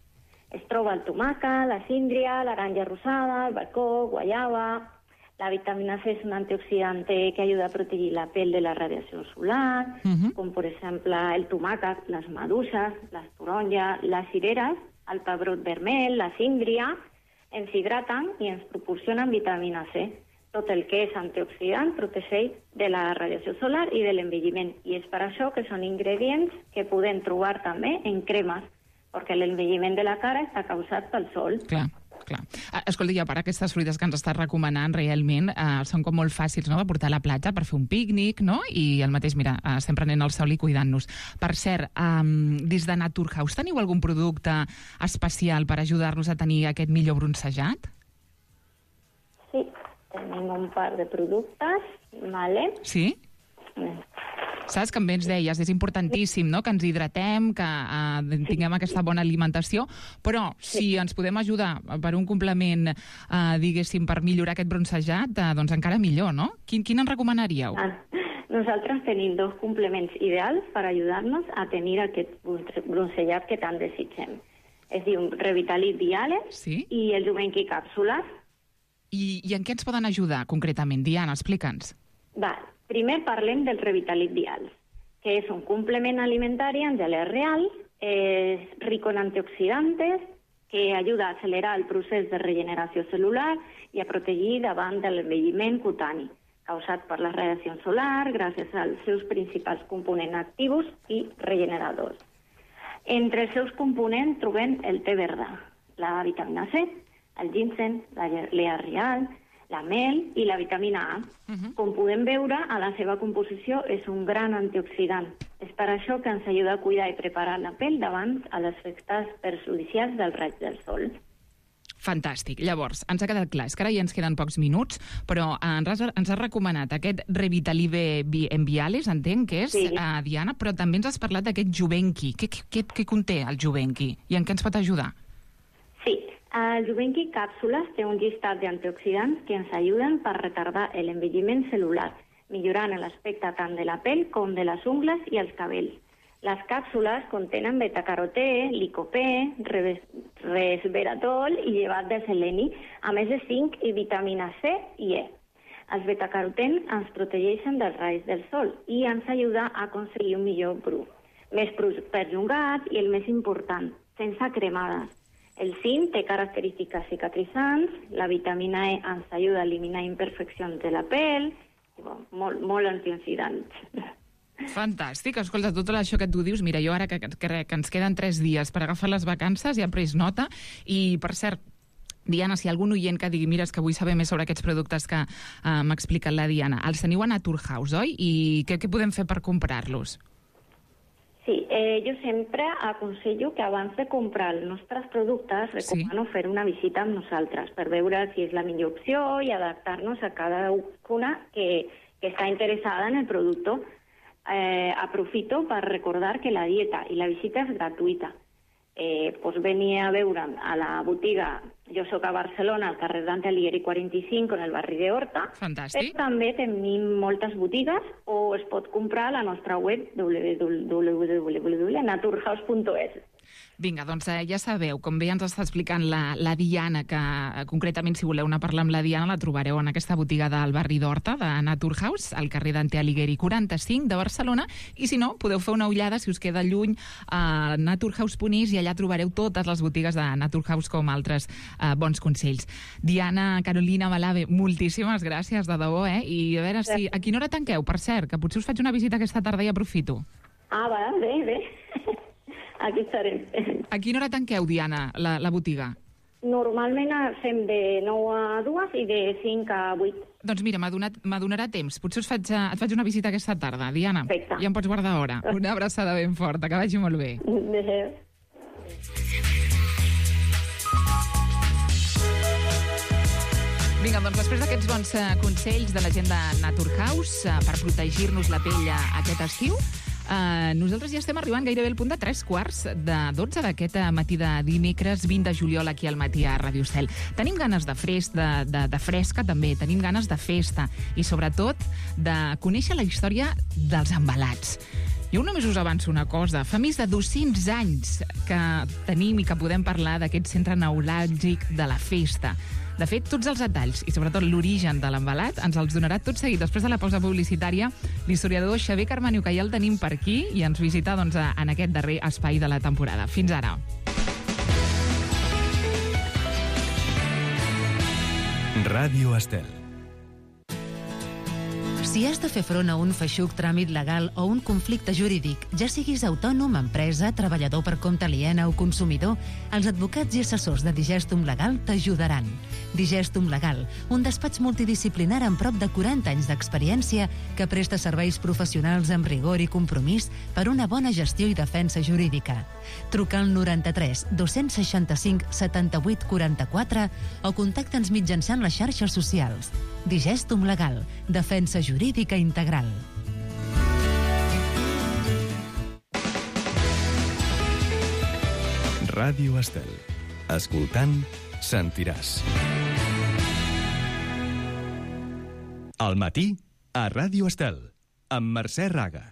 Es troba el tomàquet, la síndria, l'aranja rosada, el bascó, guaiaba. La vitamina C és un antioxidant que ajuda a protegir la pell de la radiació solar, Uh-huh. com per exemple el tomàquet, les maduixes, les taronges, les cireres, el pebrot vermell, la síndria, ens hidraten i ens proporcionen vitamina C. Tot el que és antioxidant protegeix de la radiació solar i de l'envelliment. I és per això que són ingredients que podem trobar també en cremes, perquè l'envelliment de la cara està causat pel sol. Clar. Clar. Escolta, i a part aquestes fruites que ens estàs recomanant realment eh, són com molt fàcils, no?, de portar a la platja per fer un pícnic, no?, i el mateix, mira, eh, estem prenent el sol i cuidant-nos. Per cert, eh, des de Naturhaus teniu algun producte especial per ajudar-nos a tenir aquest millor bronzejat? Sí, tenim un par de productes, vale? Sí? Saps que també ens deies, és importantíssim, no?, que ens hidratem, que eh, tinguem aquesta bona alimentació, però si ens podem ajudar per un complement, eh, diguéssim, per millorar aquest bronzejat, eh, doncs encara millor, no? Quin, quin ens recomanaríeu? Ah, nosaltres tenim dos complements ideals per ajudar-nos a tenir aquest bronzellat que tant desitgem. Es diu Revitalit Diales sí? i el Juvenqui Càpsules. I, I en què ens poden ajudar concretament? Diana, explica'ns. Va, primer parlem del Revitalit Dials, que és un complement alimentari en gelé real, és rico en antioxidantes, que ajuda a accelerar el procés de regeneració celular i a protegir davant de l'envelliment cutani, causat per la radiació solar gràcies als seus principals components actius i regeneradors. Entre els seus components trobem el té verd, la vitamina C, el ginseng, la lea real, la mel i la vitamina A. Uh-huh. Com podem veure, a la seva composició és un gran antioxidant. És per això que ens ajuda a cuidar i preparar la pell davant a les efectes perjudicials del raig del sol. Fantàstic. Llavors, ens ha quedat clar, és que ara ja ens queden pocs minuts, però ens has, ens has recomanat aquest Revitalive Viales, entenc que és, sí. uh, Diana, però també ens has parlat d'aquest Juvenqui. Què, què, què conté el Juvenqui i en què ens pot ajudar? Sí, el Juvenqui Càpsules té un llistat d'antioxidants que ens ajuden per retardar l'envelliment celular, millorant l'aspecte tant de la pell com de les ungles i els cabells. Les càpsules contenen betacarotè, licopè, resveratrol i llevat de seleni, a més de zinc i vitamina C i E. Els betacarotens ens protegeixen dels raigs del sol i ens ajuda a aconseguir un millor bru, més perllongat i el més important, sense cremades. El zinc té característiques cicatritzants, la vitamina E ens ajuda a eliminar imperfeccions de la pell, i, bon, molt, molt antioxidants. Fantàstic. Escolta, tot això que tu dius, mira, jo ara que, que, que ens queden tres dies per agafar les vacances, ja he pres nota, i per cert, Diana, si hi ha algun oient que digui, mira, és que vull saber més sobre aquests productes que uh, m'ha explicat la Diana, els teniu a Naturhaus, oi? I què, què podem fer per comprar-los? Sí, eh, jo sempre aconsello que abans de comprar els nostres productes recomano sí. fer una visita amb nosaltres per veure si és la millor opció i adaptar-nos a cada una que, que està interessada en el producte. Eh, aprofito per recordar que la dieta i la visita és gratuïta. eh, pues venir a veure'm a la botiga. Jo soc a Barcelona, al carrer Dante Alighieri quaranta-cinc, en el barri de Horta. Fantàstic. Però també tenim moltes botigues, o es pot comprar a la nostra web w w w punt naturhaus punt es. Vinga, doncs eh, ja sabeu, com bé ens està explicant la, la Diana, que eh, concretament si voleu anar a parlar amb la Diana la trobareu en aquesta botiga del barri d'Horta, de Naturhaus, al carrer Dante Alighieri quaranta-cinc de Barcelona, i si no, podeu fer una ullada, si us queda lluny, a naturhaus punt es, i allà trobareu totes les botigues de Naturhaus com altres eh, bons consells. Diana Carolina Malave, moltíssimes gràcies, de debò, eh? I a veure si... A quina hora tanqueu, per cert, que potser us faig una visita aquesta tarda i aprofito. Ah, va, bé, bé. Aquí estarem. A quina hora tanqueu, Diana, la, la botiga? Normalment fem de nou a dues i de cinc a vuit. Doncs mira, m'adonarà temps. Potser us faig, et faig una visita aquesta tarda, Diana. Perfecte. Ja em pots guardar hora. Una abraçada ben forta, que vagi molt bé. Adéu. Vinga, doncs després d'aquests bons eh, consells de la gent de Naturhaus eh, per protegir-nos la pell eh, aquest estiu, Uh, nosaltres ja estem arribant gairebé al punt de tres quarts de dotze d'aquest matí de dimecres vint de juliol aquí al matí a Ràdio Estel. Tenim ganes de fresc, de, de, de fresca també, tenim ganes de festa i sobretot de conèixer la història dels embalats. Jo només us avanço una cosa. Fa més de dos-cents anys que tenim i que podem parlar d'aquest centre neuràlgic de la festa. De fet, tots els detalls i sobretot l'origen de l'embalat ens els donarà tot seguit després de la pausa publicitària l'historiador Xavier Carmaniu, que ja el tenim per aquí i ens visita doncs, en aquest darrer espai de la temporada. Fins ara. Ràdio Estel. Si has de fer front a un feixuc tràmit legal o un conflicte jurídic, ja siguis autònom, empresa, treballador per compte aliena o consumidor, els advocats i assessors de Digestum Legal t'ajudaran. Digestum Legal, un despatx multidisciplinar amb prop de quaranta anys d'experiència que presta serveis professionals amb rigor i compromís per una bona gestió i defensa jurídica. Truca al noranta-tres dos-cents seixanta-cinc setanta-vuit quaranta-quatre o contacta'ns mitjançant les xarxes socials. Digestum Legal, defensa jurídica integral. Ràdio Estel. Escoltant, sentiràs. Al matí, a Ràdio Estel, amb Mercè Raga.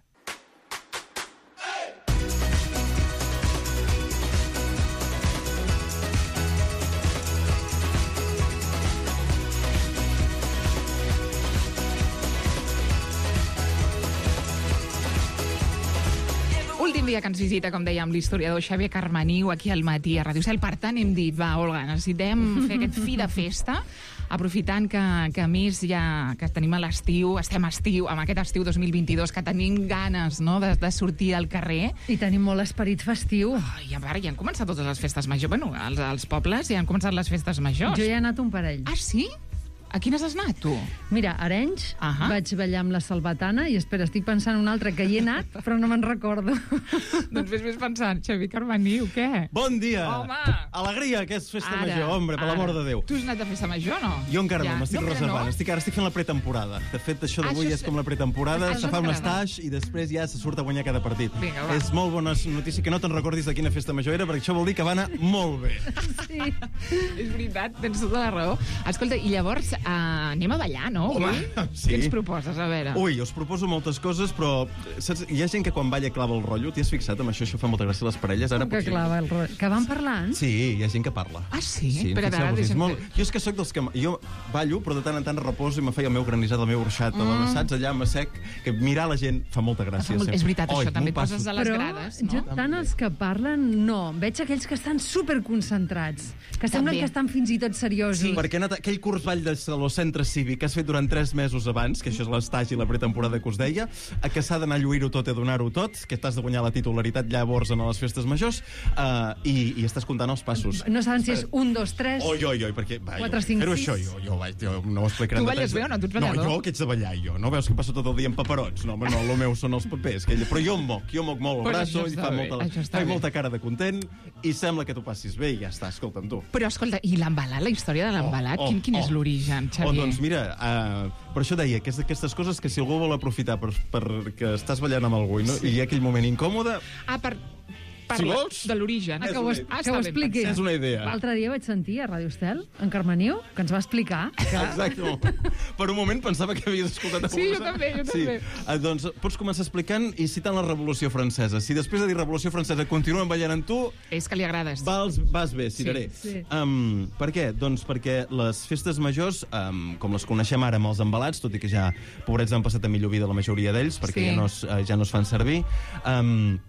Últim dia que ens visita, com dèiem, l'historiador Xavier Carmaniu aquí al matí a Ràdio Estel. Per tant, hem dit, va, Olga, necessitem fer aquest fi de festa, aprofitant que, que a més ja que tenim a l'estiu, estem a estiu, amb aquest estiu dos mil vint-i-dos, que tenim ganes, no?, de, de sortir al carrer. I tenim molt esperit festiu. Oh, I a veure, ja han començat totes les festes majors. Bueno, als, als pobles ja han començat les festes majors. Jo ja he anat un parell. Ah, sí? A quines has anat, tu? Mira, a Arenys, uh -huh. vaig ballar amb la Salvatana i, espera, estic pensant en un altre que hi he anat, però no me'n recordo. Doncs fes més pensant, Xavier Carmaniu, què? Bon dia! Home! Alegria, que és festa Ara, major, hombre, per l'amor de Déu. Tu has anat a festa major, no? Jo encara ja. no, m'estic no, reservant. No? Estic, ara estic fent la pretemporada. De fet, això d'avui Ah, és com la pretemporada, Ah, se fa un t'agrada. stage i després ja se surt a guanyar cada partit. Vinga, va. És molt bona notícia que no te'n recordis de quina festa major era, perquè això vol dir que va anar molt bé. Sí. És veritat, tens tota la raó. Escolta, i llavors uh, anem a ballar, no? Home, Ui? sí. Què ens proposes, a veure? Ui, us proposo moltes coses, però saps, hi ha gent que quan balla clava el rotllo. T'hi has fixat amb això? Això fa molta gràcia a les parelles. Ara Que potser... clava el rotllo. Que van parlant? Sí, hi ha gent que parla. Ah, sí? Sí, Espera, a veure, fixeu-vos-hi, és deixa'm molt... fer- Jo és que sóc dels que... Jo ballo, però de tant en tant reposo i me feia el meu granissat, el meu orxat, mm. saps? Allà me sec, que mirar la gent fa molta gràcia. Fa molt... sempre. És veritat, Oi, això, també et m'ho passo. poses a les Però grades, no? jo, tant els que parlen, no. Veig aquells que estan superconcentrats, que semblen També. que estan fins i tot seriosos. Sí, perquè ha anat aquell curs ball de centre cívic que has fet durant tres mesos abans, que això és l'estage i la pretemporada que us deia, a que s'ha d'anar a lluir-ho tot i a donar-ho tot, que t'has de guanyar la titularitat llavors en les festes majors, uh, i, i estàs comptant els passos. No saben si és un, dos, tres... Oi, oi, oi, perquè... Va, Quatre, jo, cinc, fer-ho sis. això, jo, jo, vaig, jo no ho explicaré. Tu en balles detalls. bé o no? Tu ets ballador? No, jo, que ets de ballar, jo. No veus que passo tot el dia amb paperots? No, home, no, el meu són els papers. Que ella... Però jo em moc, jo moc molt el Pues braço, això i està fa bé, molta, això està fa bé. molta cara de content, i sembla que t'ho passis bé, i ja està, escolta'm tu. Però, escolta, i l'embalat, la història de l'embalat, Oh, oh, quin, quin és oh. l'origen, Oh, Xavier? doncs mira, uh, per això deia que és d'aquestes coses que si algú vol aprofitar per, per que estàs ballant amb algú i, no, Sí. i hi ha aquell moment incòmode, Ah, per... Parla si vols... de l'origen. Ah, que ho, es, Ah, que ho està ben expliqui. És una idea. L'altre dia vaig sentir a Ràdio Estel, en Carmeniu, que ens va explicar que... Exacte. Per un moment pensava que havies escoltat... Sí, jo també, jo sí. també. Uh, doncs pots començar explicant i citant la Revolució Francesa. Si després de dir Revolució Francesa continuen ballant amb tu... És que li agrades. Vas, vas bé, cireré. Sí, sí. Um, per què? Doncs perquè les festes majors, um, com les coneixem ara amb els embalats, tot i que ja, pobrets, han passat a millor vida la majoria d'ells, perquè Sí. ja, no es, uh, ja no es fan servir... Um,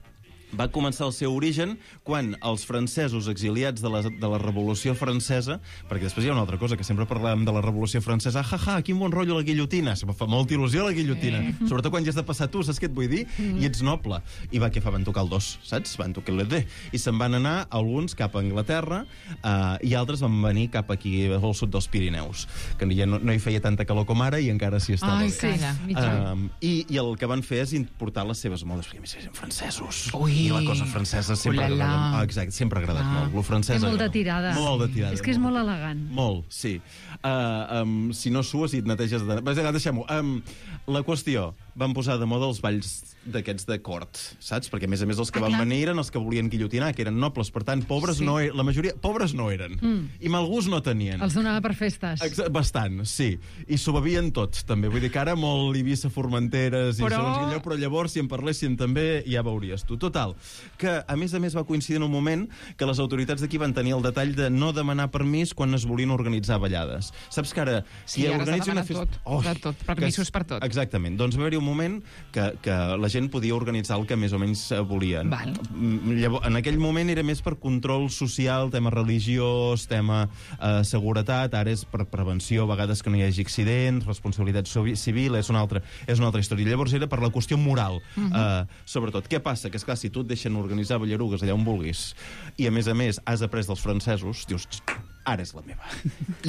va començar el seu origen quan els francesos exiliats de la, de la Revolució Francesa, perquè després hi ha una altra cosa, que sempre parlàvem de la Revolució Francesa, ja, ja, quin bon rotllo la guillotina, se fa molta il·lusió la guillotina, eh. sobretot quan ja has de passar tu, saps què et vull dir? Mm. I ets noble. I va, què fa? Van tocar el dos, saps? Van tocar el D. I se'n van anar alguns cap a Anglaterra uh, i altres van venir cap aquí al sud dels Pirineus, que ja no, no hi feia tanta calor com ara i encara s'hi estava Ai, bé. sí. Uh, i, I el que van fer és importar les seves modes, perquè a més eren francesos. Ui. I la cosa francesa sempre ha Ulala. agradat, ah, exacte, sempre ha agradat Ah. molt. Lo francès Té molta agrada. tirada. Molt de tirada. És que és molt elegant. Molt, sí. Uh, um, si no sues i et neteges de... Vas, deixem-ho. Um, la qüestió, van posar de moda els balls d'aquests de cort, saps? Perquè, a més a més, els que Ah, van clar. venir eren els que volien guillotinar, que eren nobles. Per tant, pobres Sí. no e- la majoria... Pobres no eren. Mm. I mal gust no tenien. Els donava per festes. Exa- Bastant, sí. I s'ho bevien tots, també. Vull dir que ara molt Eivissa, Formenteres i Però- segons quin lloc, però llavors, si en parlessin també, ja veuries tu. Total, que a més a més va coincidir en un moment que les autoritats d'aquí van tenir el detall de no demanar permís quan es volien organitzar ballades. Saps que ara... Sí, ara s'ha organitza una demanat tot, de tot, permisos per tot. Exactament. Doncs va haver-hi un moment que, que la gent podia organitzar el que més o menys eh, volien. Val. Mm, Llavors, en aquell moment era més per control social, tema religiós, tema eh, seguretat, ara és per prevenció, a vegades que no hi hagi accidents, responsabilitat sovi- civil, és una altra, és una altra història. Llavors era per la qüestió moral, uh -huh. eh, sobretot. Què passa? Que, esclar, si tu et deixen organitzar ballarugues allà on vulguis, i a més a més has après dels francesos, dius, ara és la meva.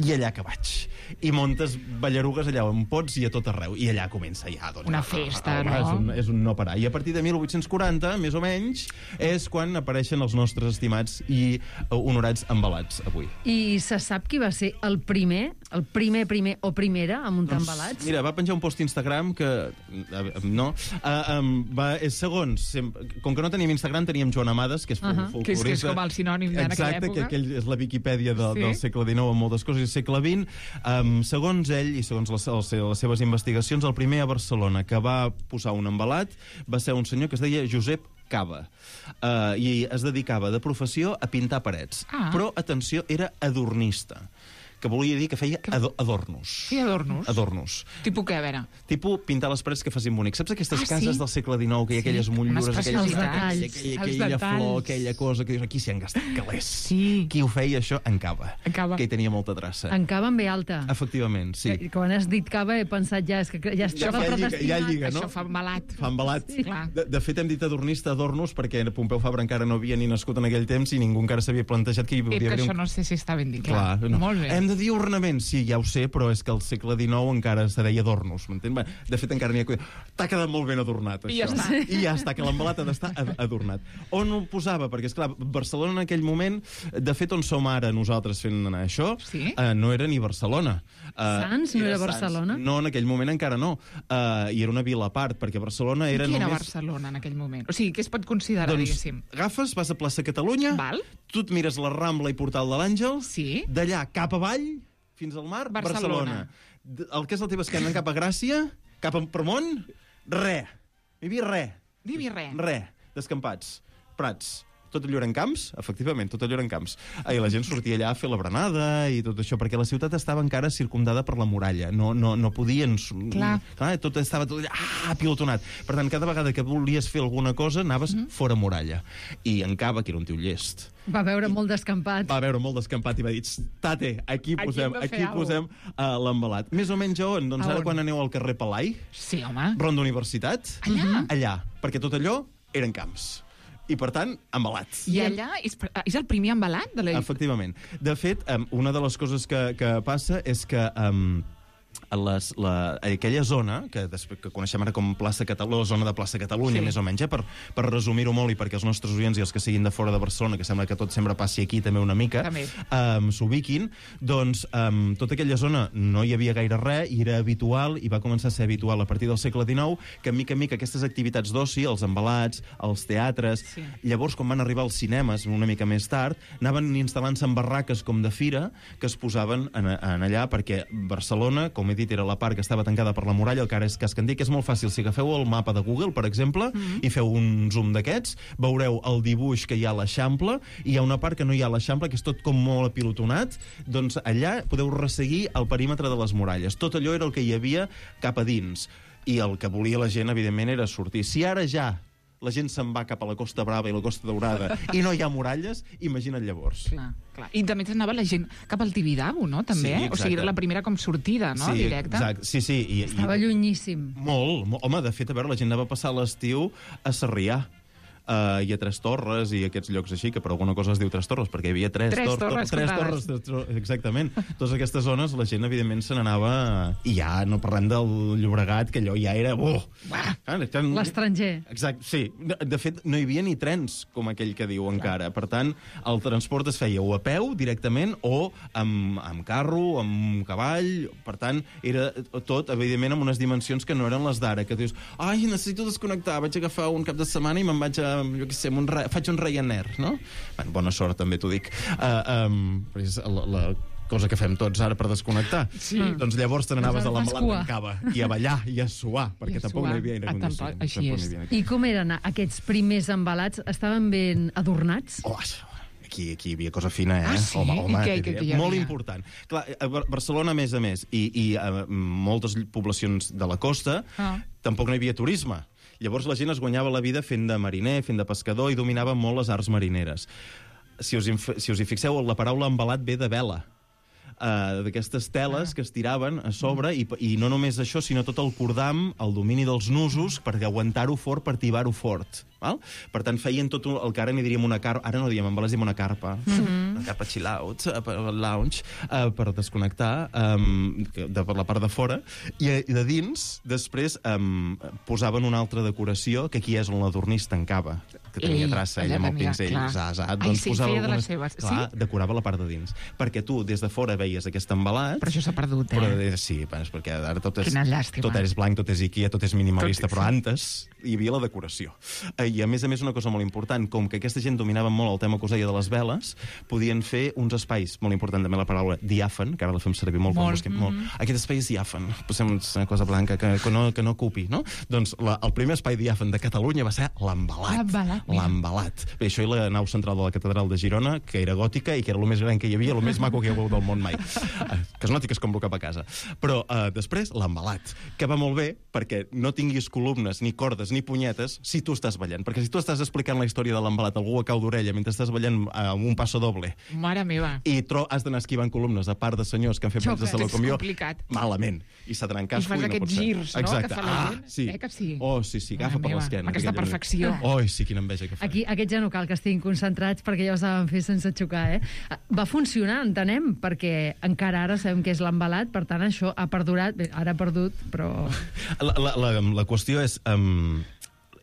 I allà que vaig. I montes ballarugues allà on pots i a tot arreu. I allà comença ja, doncs... Una festa, no? És un, és un no parar. I a partir de mil vuit-cents quaranta, més o menys, és quan apareixen els nostres estimats i uh, honorats embalats, avui. I se sap qui va ser el primer, el primer, primer o primera a muntar embalats? Mira, va penjar un post a Instagram que... Uh, no. Uh, um, va, és segons... Sempre, com que no teníem Instagram, teníem Joan Amades, que és Uh -huh. folclorista. Que és, que és com el sinònim d'en aquella Exacte, època. que aquell és la Viquipèdia de, Sí. del segle dinou amb moltes coses, i segle vint. Um, segons ell, i segons les, les, les seves investigacions, el primer a Barcelona que va posar un embalat va ser un senyor que es deia Josep Cava. Uh, I es dedicava de professió a pintar parets. Ah. Però, atenció, era adornista, que volia dir que feia ado adornos. Sí, adornos. Adornos. Tipus què, a veure? Tipus pintar les parets que facin bonic. Saps aquestes Ah, cases sí? del segle dinou, que hi ha Sí, aquelles motllures, unes aquelles, preciositats. aquella, Els aquella, aquella detalls. flor, aquella cosa, que dius, aquí s'hi han gastat calés. Sí. Qui ho feia, això, en Cava. En Cava. Que hi tenia molta traça. En Cava en ve alta. Efectivament, sí. Que, quan has dit Cava he pensat ja, és que ja estava ja lliga, predestinat. ja lliga, no? Això fa embalat. Fa embalat. Sí. Clar. De, de fet, hem dit adornista, adornos, perquè Pompeu Fabra encara no havia ni nascut en aquell temps i ningú encara s'havia plantejat que hi Et hauria que d'haver això un... no sé si està ben dit. Clar, no. Molt bé. Hem de dir ornament, sí, ja ho sé, però és que al segle dinou encara se deia adornos, m'entén? Bé, de fet, encara n'hi ha... T'ha quedat molt ben adornat, això. I ja està. I ja està, que l'embalat ha d'estar ad- adornat. On ho posava? Perquè, esclar, Barcelona en aquell moment, de fet, on som ara nosaltres fent anar això, Sí? eh, no era ni Barcelona. Eh, Sants? No era Sants. Barcelona? No, en aquell moment encara no. Eh, I era una vila a part, perquè Barcelona era Qui era només... Barcelona en aquell moment? O sigui, què es pot considerar, Doncs diguéssim? agafes, vas a plaça Catalunya, Val. tu et mires la Rambla i Portal de l'Àngel, Sí. d'allà cap avall, fins al mar, Barcelona. Barcelona. D- El que és la teva esquena cap a Gràcia, cap a Permont, re. Hi havia re. Divi res. Re. Descampats. Prats. Tot allò eren camps? Efectivament, tot allò eren camps. I la gent sortia allà a fer la berenada i tot això, perquè la ciutat estava encara circumdada per la muralla. No, no, no podien... Clar. Clar, tot estava tot allà, ah, pilotonat. Per tant, cada vegada que volies fer alguna cosa, anaves mm. fora muralla. I en Cava, que era un tio llest, Va veure molt descampat. va veure molt descampat i va dir, tate, aquí Aquí posem, hem de fer aquí alguna posem uh, l'embalat. Més o menys a on? Doncs A ara on? quan aneu al carrer Palai, Sí, home. Ronda Universitat, Allà? allà, perquè tot allò eren camps. I, per tant, embalat. I allà és, és el primer embalat de la... Efectivament. De fet, um, una de les coses que, que passa és que um, les, la, aquella zona, que, després, que coneixem ara com plaça Catalunya, la zona de plaça Catalunya, sí. més o menys, eh? per, per resumir-ho molt i perquè els nostres oients i els que siguin de fora de Barcelona, que sembla que tot sempre passi aquí també una mica, um, s'ubiquin, doncs um, tota aquella zona no hi havia gaire res, i era habitual, i va començar a ser habitual a partir del segle dinou, que mica en mica aquestes activitats d'oci, els embalats, els teatres, sí. llavors quan van arribar als cinemes una mica més tard, anaven instal·lant-se en barraques com de fira que es posaven en, en allà, perquè Barcelona, com he dit, era la part que estava tancada per la muralla, el que ara és Casc Antic, és molt fàcil. Si agafeu el mapa de Google, per exemple, mm-hmm. i feu un zoom d'aquests, veureu el dibuix que hi ha a l'Eixample, i hi ha una part que no hi ha a l'Eixample, que és tot com molt apilotonat, doncs allà podeu resseguir el perímetre de les muralles. Tot allò era el que hi havia cap a dins. I el que volia la gent, evidentment, era sortir. Si ara ja la gent se'n va cap a la Costa Brava i la Costa Daurada i no hi ha muralles, imagina't llavors. Clar, clar. I també s'anava la gent cap al Tibidabo, no? També, sí, o sigui, era la primera com sortida, no? Sí, directa. Exacte. Sí, sí. I, Estava i... llunyíssim. Molt, molt. Home, de fet, a veure, la gent anava a passar l'estiu a Sarrià. Uh, i a Tres Torres i aquests llocs així, que per alguna cosa es diu Tres Torres, perquè hi havia tres, tres tor torres, tor tres torres, tres tor exactament. Totes aquestes zones, la gent, evidentment, se n'anava... I ja no parlem del Llobregat, que allò ja era... Oh! L'estranger. Exacte, sí. De, de fet, no hi havia ni trens, com aquell que diu encara. Per tant, el transport es feia o a peu, directament, o amb, amb carro, amb cavall... Per tant, era tot, evidentment, amb unes dimensions que no eren les d'ara, que dius, ai, necessito desconnectar, vaig agafar un cap de setmana i me'n vaig a jo què sé, un re... faig un Ryanair, no? Bueno, bona sort, també t'ho dic. Uh, um, és la, la cosa que fem tots ara per desconnectar. Sí. Doncs llavors te n'anaves a l'embalat d'en Cava i a ballar i a suar, perquè I tampoc no hi havia aire condicionat. Així és. I com eren aquests primers embalats? Estaven ben adornats? Oh, Aquí, aquí hi havia cosa fina, eh? Ah, sí? Home, home, I què, què, què molt important. Clar, a Barcelona, a més a més, i, i a moltes poblacions de la costa, ah. tampoc no hi havia turisme. Llavors la gent es guanyava la vida fent de mariner, fent de pescador, i dominava molt les arts marineres. Si us, si us hi fixeu, la paraula embalat ve de vela. Uh, d'aquestes teles ah. que es tiraven a sobre, i, i no només això, sinó tot el cordam, el domini dels nusos, per aguantar-ho fort, per tibar-ho fort. Val? Per tant, feien tot el que ara n'hi diríem una carpa, ara no diem embalats, diem una carpa, mm-hmm. una carpa chill out, per lounge, uh, per desconnectar um, de, per la part de fora, i, i de dins, després, um, posaven una altra decoració, que aquí és on l'adornís tancava, que tenia traça, ella amb el pinzell, zazat, doncs sí, posava feia algunes... de les seves. Clar, sí? decorava la part de dins. Perquè tu, des de fora, veies aquest embalat... Però això s'ha perdut, eh? Però, sí, és perquè ara tot és... Quina llàstima. Tot és blanc, tot és Ikea, tot és minimalista, tot... però antes hi havia la decoració. I, a més a més, una cosa molt important, com que aquesta gent dominava molt el tema que us deia de les veles, podien fer uns espais, molt important també la paraula diàfan, que ara la fem servir molt, molt, busquem, mm -hmm. molt. Aquest espai és diàfan, posem una cosa blanca que, que, no, que no ocupi, no? Doncs la, el primer espai diàfan de Catalunya va ser l'embalat. L'embalat. Bé, això i la nau central de la catedral de Girona, que era gòtica i que era el més gran que hi havia, el més maco que hi ha hagut del món mai. Que es noti que es compro cap a casa. Però uh, després, l'embalat, que va molt bé perquè no tinguis columnes, ni cordes, ni punyetes, si tu estàs ballant. Perquè si tu estàs explicant la història de l'embalat, algú a cau d'orella, mentre estàs ballant amb un passo doble, mare meva, i tro has d'anar esquivant columnes, a part de senyors que han fet Xoca, de saló com jo, complicat. Malament. I s'ha d'anar en casco i, I fas no aquests girs, no?, exacte. que fa la gent. Ah, sí. Eh que sí? Oh, sí, sí, agafa per l'esquena. Aquesta perfecció. Oh, sí, quina enveja que fa. Aquí, aquests ja no cal que estiguin concentrats perquè ja ho saben fer sense xocar, eh? Va funcionar, entenem, perquè encara ara sabem que és l'embalat, per tant, això ha perdurat, bé, ara ha perdut, però... La, la, la, la qüestió és... Um,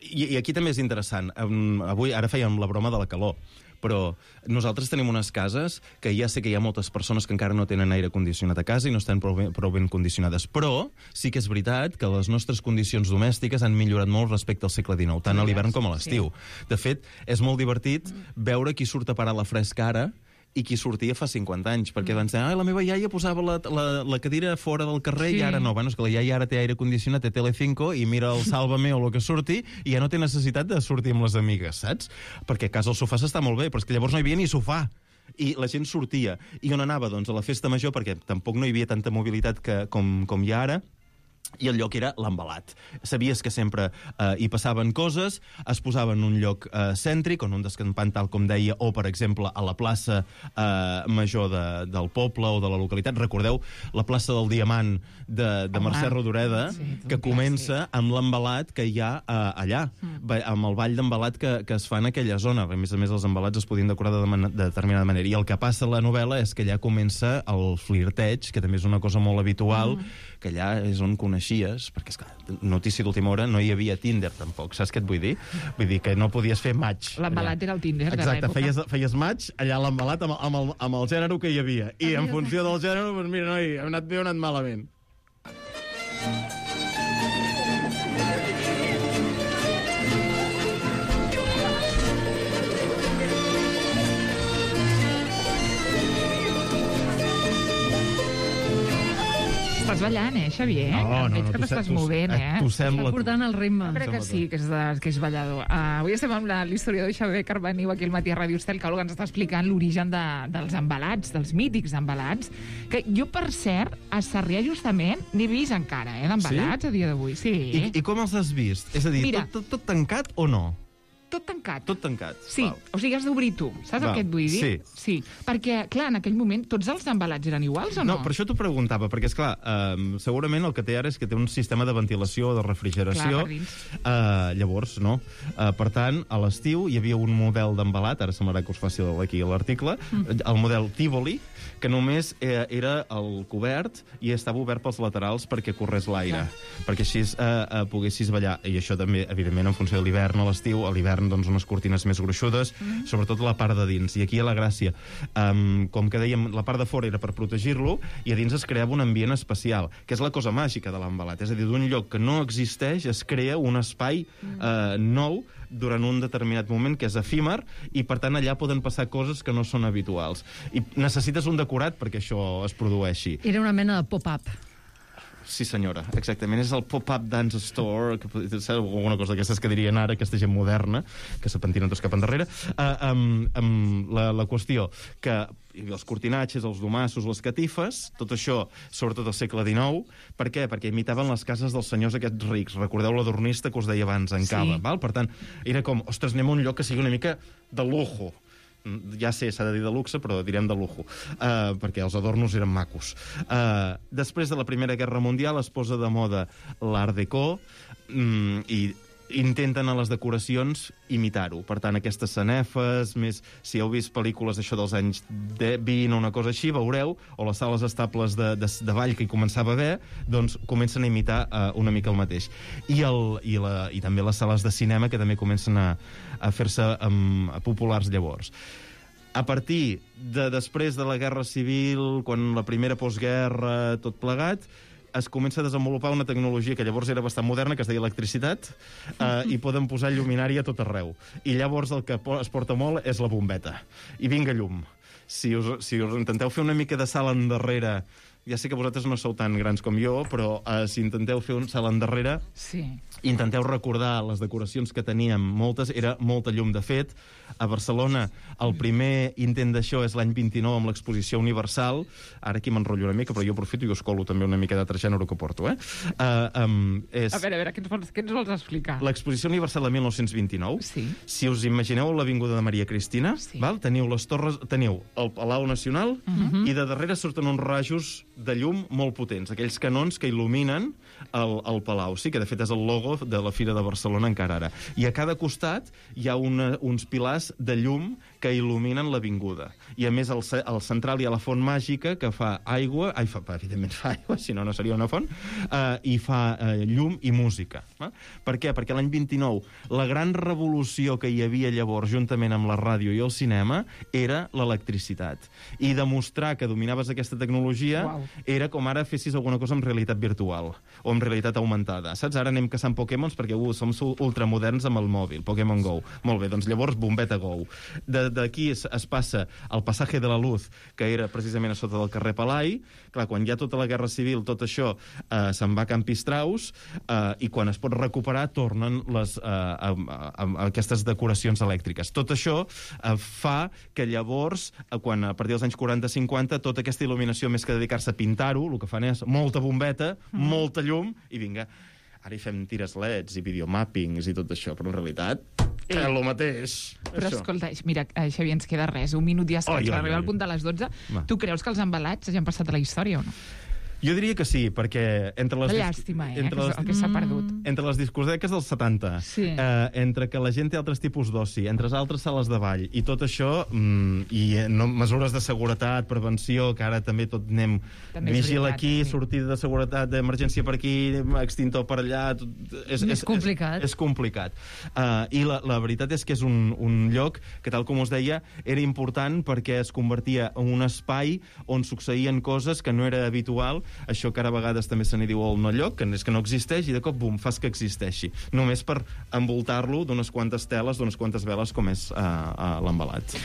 i, I aquí també és interessant. Um, avui, ara fèiem la broma de la calor, però nosaltres tenim unes cases que ja sé que hi ha moltes persones que encara no tenen aire condicionat a casa i no estan prou ben, prou ben condicionades, però sí que és veritat que les nostres condicions domèstiques han millorat molt respecte al segle dinou, tant a l'hivern com a l'estiu. De fet, és molt divertit veure qui surt a parar la fresca ara i qui sortia fa cinquanta anys, perquè van dir, ah, la meva iaia posava la, la, la cadira fora del carrer, sí. I ara no. Bueno, és que la iaia ara té aire condicionat, té Telecinco, i mira el Sálvame o el que surti, i ja no té necessitat de sortir amb les amigues, saps? Perquè a casa el sofà s'està molt bé, però és que llavors no hi havia ni sofà. I la gent sortia. I on anava? Doncs a la festa major, perquè tampoc no hi havia tanta mobilitat que, com, com hi ha ara, i el lloc era l'embalat. Sabies que sempre eh, hi passaven coses, es posava en un lloc eh, cèntric, on un descampant, tal com deia, o, per exemple, a la plaça eh, major de, del poble o de la localitat. Recordeu la plaça del Diamant de, de Mercè Rodoreda, sí, que comença amb l'embalat que hi ha eh, allà. Mm. amb el ball d'embalat que, que es fa en aquella zona. A més a més, els embalats es podien decorar de, man de determinada manera. I el que passa a la novel·la és que allà comença el flirteig, que també és una cosa molt habitual, mm. que allà és on coneixies, perquè, esclar, notícia d'última hora, no hi havia Tinder, tampoc. Saps què et vull dir? Vull dir que no podies fer match. L'embalat era el Tinder de Exacte, l'època. feies, feies match allà a l'embalat amb, amb, el, amb el gènere que hi havia. I en funció del gènere, doncs mira, noi, hem anat bé o hem anat malament. Estàs ballant, eh, Xavier? No, no, Veig no, que tu t'estàs se- tu- movent, eh, eh? tu sembla- Està portant el ritme. Jo crec que sí, que és, de, que és ballador. Uh, avui estem amb la- l'historiador Xavier Carboniu aquí al matí a Ràdio Estel, que ens està explicant l'origen de, dels embalats, dels mítics embalats, que jo, per cert, a Sarrià justament n'he vist encara, eh, d'embalats Sí? a dia d'avui. Sí. I, I com els has vist? És a dir, Mira. tot, tot, tot tancat o no? Tot tancat. Tot tancat. Sí, Val. o sigui, has d'obrir tu. Saps Val, el que et vull dir? sí. Sí. Perquè, clar, en aquell moment tots els embalats eren iguals o no? No, per això t'ho preguntava, perquè, esclar, eh, segurament el que té ara és que té un sistema de ventilació o de refrigeració. Clar, per dins. Eh, llavors, no. Eh, per tant, a l'estiu hi havia un model d'embalat, ara semblarà que us faci aquí l'article, mm. el model Tivoli, que només eh, era el cobert i estava obert pels laterals perquè corrés l'aire, perquè així eh, eh, poguessis ballar. I això també, evidentment, en funció de l'hivern o l'estiu, a l'hivern, doncs, unes cortines més gruixudes, mm. sobretot la part de dins. I aquí hi ha la gràcia. Um, com que dèiem, la part de fora era per protegir-lo, i a dins es creava un ambient especial, que és la cosa màgica de l'embalat. És a dir, d'un lloc que no existeix es crea un espai mm. eh, nou durant un determinat moment, que és efímer, i per tant allà poden passar coses que no són habituals. I necessites un decorat perquè això es produeixi. Era una mena de pop-up. Sí, senyora, exactament. És el pop-up dance store, que pot ser alguna cosa d'aquestes que dirien ara, aquesta gent moderna, que se pentinen tots cap endarrere. Uh, um, um, la, la qüestió que els cortinatges, els domassos, les catifes, tot això, sobretot al segle dinou, per què? Perquè imitaven les cases dels senyors aquests rics. Recordeu l'adornista que us deia abans, en Cava, Sí. val? Per tant, era com, ostres, anem a un lloc que sigui una mica de lujo. Ja sé, s'ha de dir de luxe, però direm de lujo, uh, perquè els adornos eren macos. Uh, després de la Primera Guerra Mundial es posa de moda l'Art Déco um, i intenten a les decoracions imitar-ho. Per tant, aquestes sanefes, més si heu vist pel·lícules d'això dels anys vint o una cosa així, veureu, o les sales estables de, de, de ball que hi començava a haver, doncs comencen a imitar uh, una mica el mateix. I, el, i, la, i també les sales de cinema, que també comencen a, a fer-se um, populars llavors. A partir de després de la Guerra Civil, quan la primera postguerra, tot plegat, es comença a desenvolupar una tecnologia que llavors era bastant moderna, que es deia electricitat, eh, i poden posar lluminari a tot arreu. I llavors el que es porta molt és la bombeta. I vinga llum. Si us, si us intenteu fer una mica de salt endarrere, ja sé que vosaltres no sou tan grans com jo, però eh, si intenteu fer un salt endarrere, sí. intenteu recordar les decoracions que teníem, moltes, era molta llum. De fet, a Barcelona el primer intent d'això és l'any vint-i-nou amb l'exposició Universal. Ara aquí m'enrotllo una mica, però jo aprofito i us colo també una mica d'altre gènere que porto. Eh? Uh, um, és... A veure, a veure, què ens vols, què ens vols explicar? L'exposició Universal de mil nou-cents vint-i-nou. Sí. Si us imagineu l'Avinguda de Maria Cristina, sí. val? Teniu les torres, teniu el Palau Nacional, Mhm. i de darrere surten uns rajos de llum molt potents, aquells canons que il·luminen el, el Palau. Sí, que de fet és el logo de la Fira de Barcelona encara ara. I a cada costat hi ha una, uns pilars de llum que il·luminen l'avinguda. I a més al, al central hi ha la font màgica que fa aigua, ai, fa, evidentment fa aigua, si no, no seria una font, eh, i fa eh, llum i música. Eh? Per què? Perquè l'any vint-i-nou la gran revolució que hi havia llavors, juntament amb la ràdio i el cinema, era l'electricitat. I demostrar que dominaves aquesta tecnologia Uau. era com ara fessis alguna cosa amb realitat virtual o amb realitat augmentada. Saps? Ara anem caçant Pokémons perquè uh, som ultramoderns amb el mòbil, Pokémon Go. Molt bé, doncs llavors bombeta Go. D'aquí es, es passa al Passaje de la Luz, que era precisament a sota del carrer Palai. Clar, quan hi ha tota la Guerra Civil, tot això eh, se'n va a Campistraus, eh, i quan es pot recuperar tornen les, eh, a, a, a aquestes decoracions elèctriques. Tot això eh, fa que llavors, eh, quan a partir dels anys quaranta cinquanta, tota aquesta il·luminació, més que dedicar-se a pintar-ho, el que fan és molta bombeta, mm. molta llum, i vinga, ara hi fem tires leds i videomappings i tot això, però en realitat és el mateix. Però això. escolta, mira, Xavier, ens queda res, un minut ja escaig, Ai, ai, per arribar ai. al punt de les dotze. Va. Tu creus que els embalats hagin passat a la història o no? Jo diria que sí, perquè entre les... Una llàstima, eh, entre que és el que s'ha perdut. Entre les discoteques dels setanta, Sí. eh, entre que la gent té altres tipus d'oci, entre les altres sales de ball, i tot això, mm, i eh, no, mesures de seguretat, prevenció, que ara també tot anem... També és Vigil veritat, aquí, sí. sortida de seguretat, d'emergència per aquí, extintor per allà... Tot, és, És complicat. És, és complicat. Uh, I la, la veritat és que és un, un lloc que, tal com us deia, era important perquè es convertia en un espai on succeïen coses que no era habitual, això que ara a vegades també se n'hi diu el no lloc, que és que no existeix, i de cop, bum, fas que existeixi. Només per envoltar-lo d'unes quantes teles, d'unes quantes veles, com és uh, uh, l'embalat.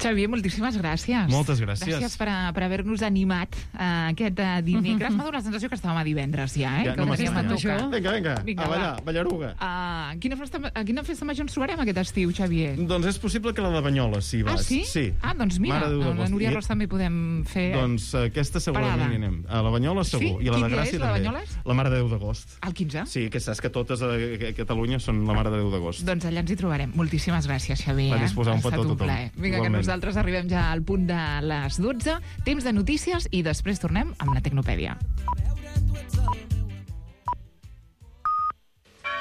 Xavier, moltíssimes gràcies. Moltes gràcies. Gràcies per, a, per haver-nos animat uh, aquest uh, dimecres. M'ha donat la sensació que estàvem a divendres ja, eh? Ja, que no podríem m'estranya. tocar. Vinga, vinga, Vinga, a ballar, va. ballaruga. Uh, quina festa, a quina festa major ens trobarem aquest estiu, Xavier? Doncs és possible que la de Banyoles, si vas. Ah, sí? Sí. Ah, doncs mira, Mare de Déu a la d'agost. Núria I- Ros també podem fer... Doncs uh, aquesta segurament Parada. hi anem. A la Banyoles segur. Sí? I a la Quin de dia Gràcia és, la de també. Banyoles? La Mare de Déu d'agost. El quinze? Sí, que saps que totes a, a Catalunya són la Mare de Déu d'agost. Doncs allà ens hi trobarem. Moltíssimes gràcies, Xavier. Va disposar un Ha estat petó a tothom. plaer. Vinga, que Igualment. nosaltres arribem ja al punt de les dotze. Temps de notícies i després tornem amb la Tecnopèdia.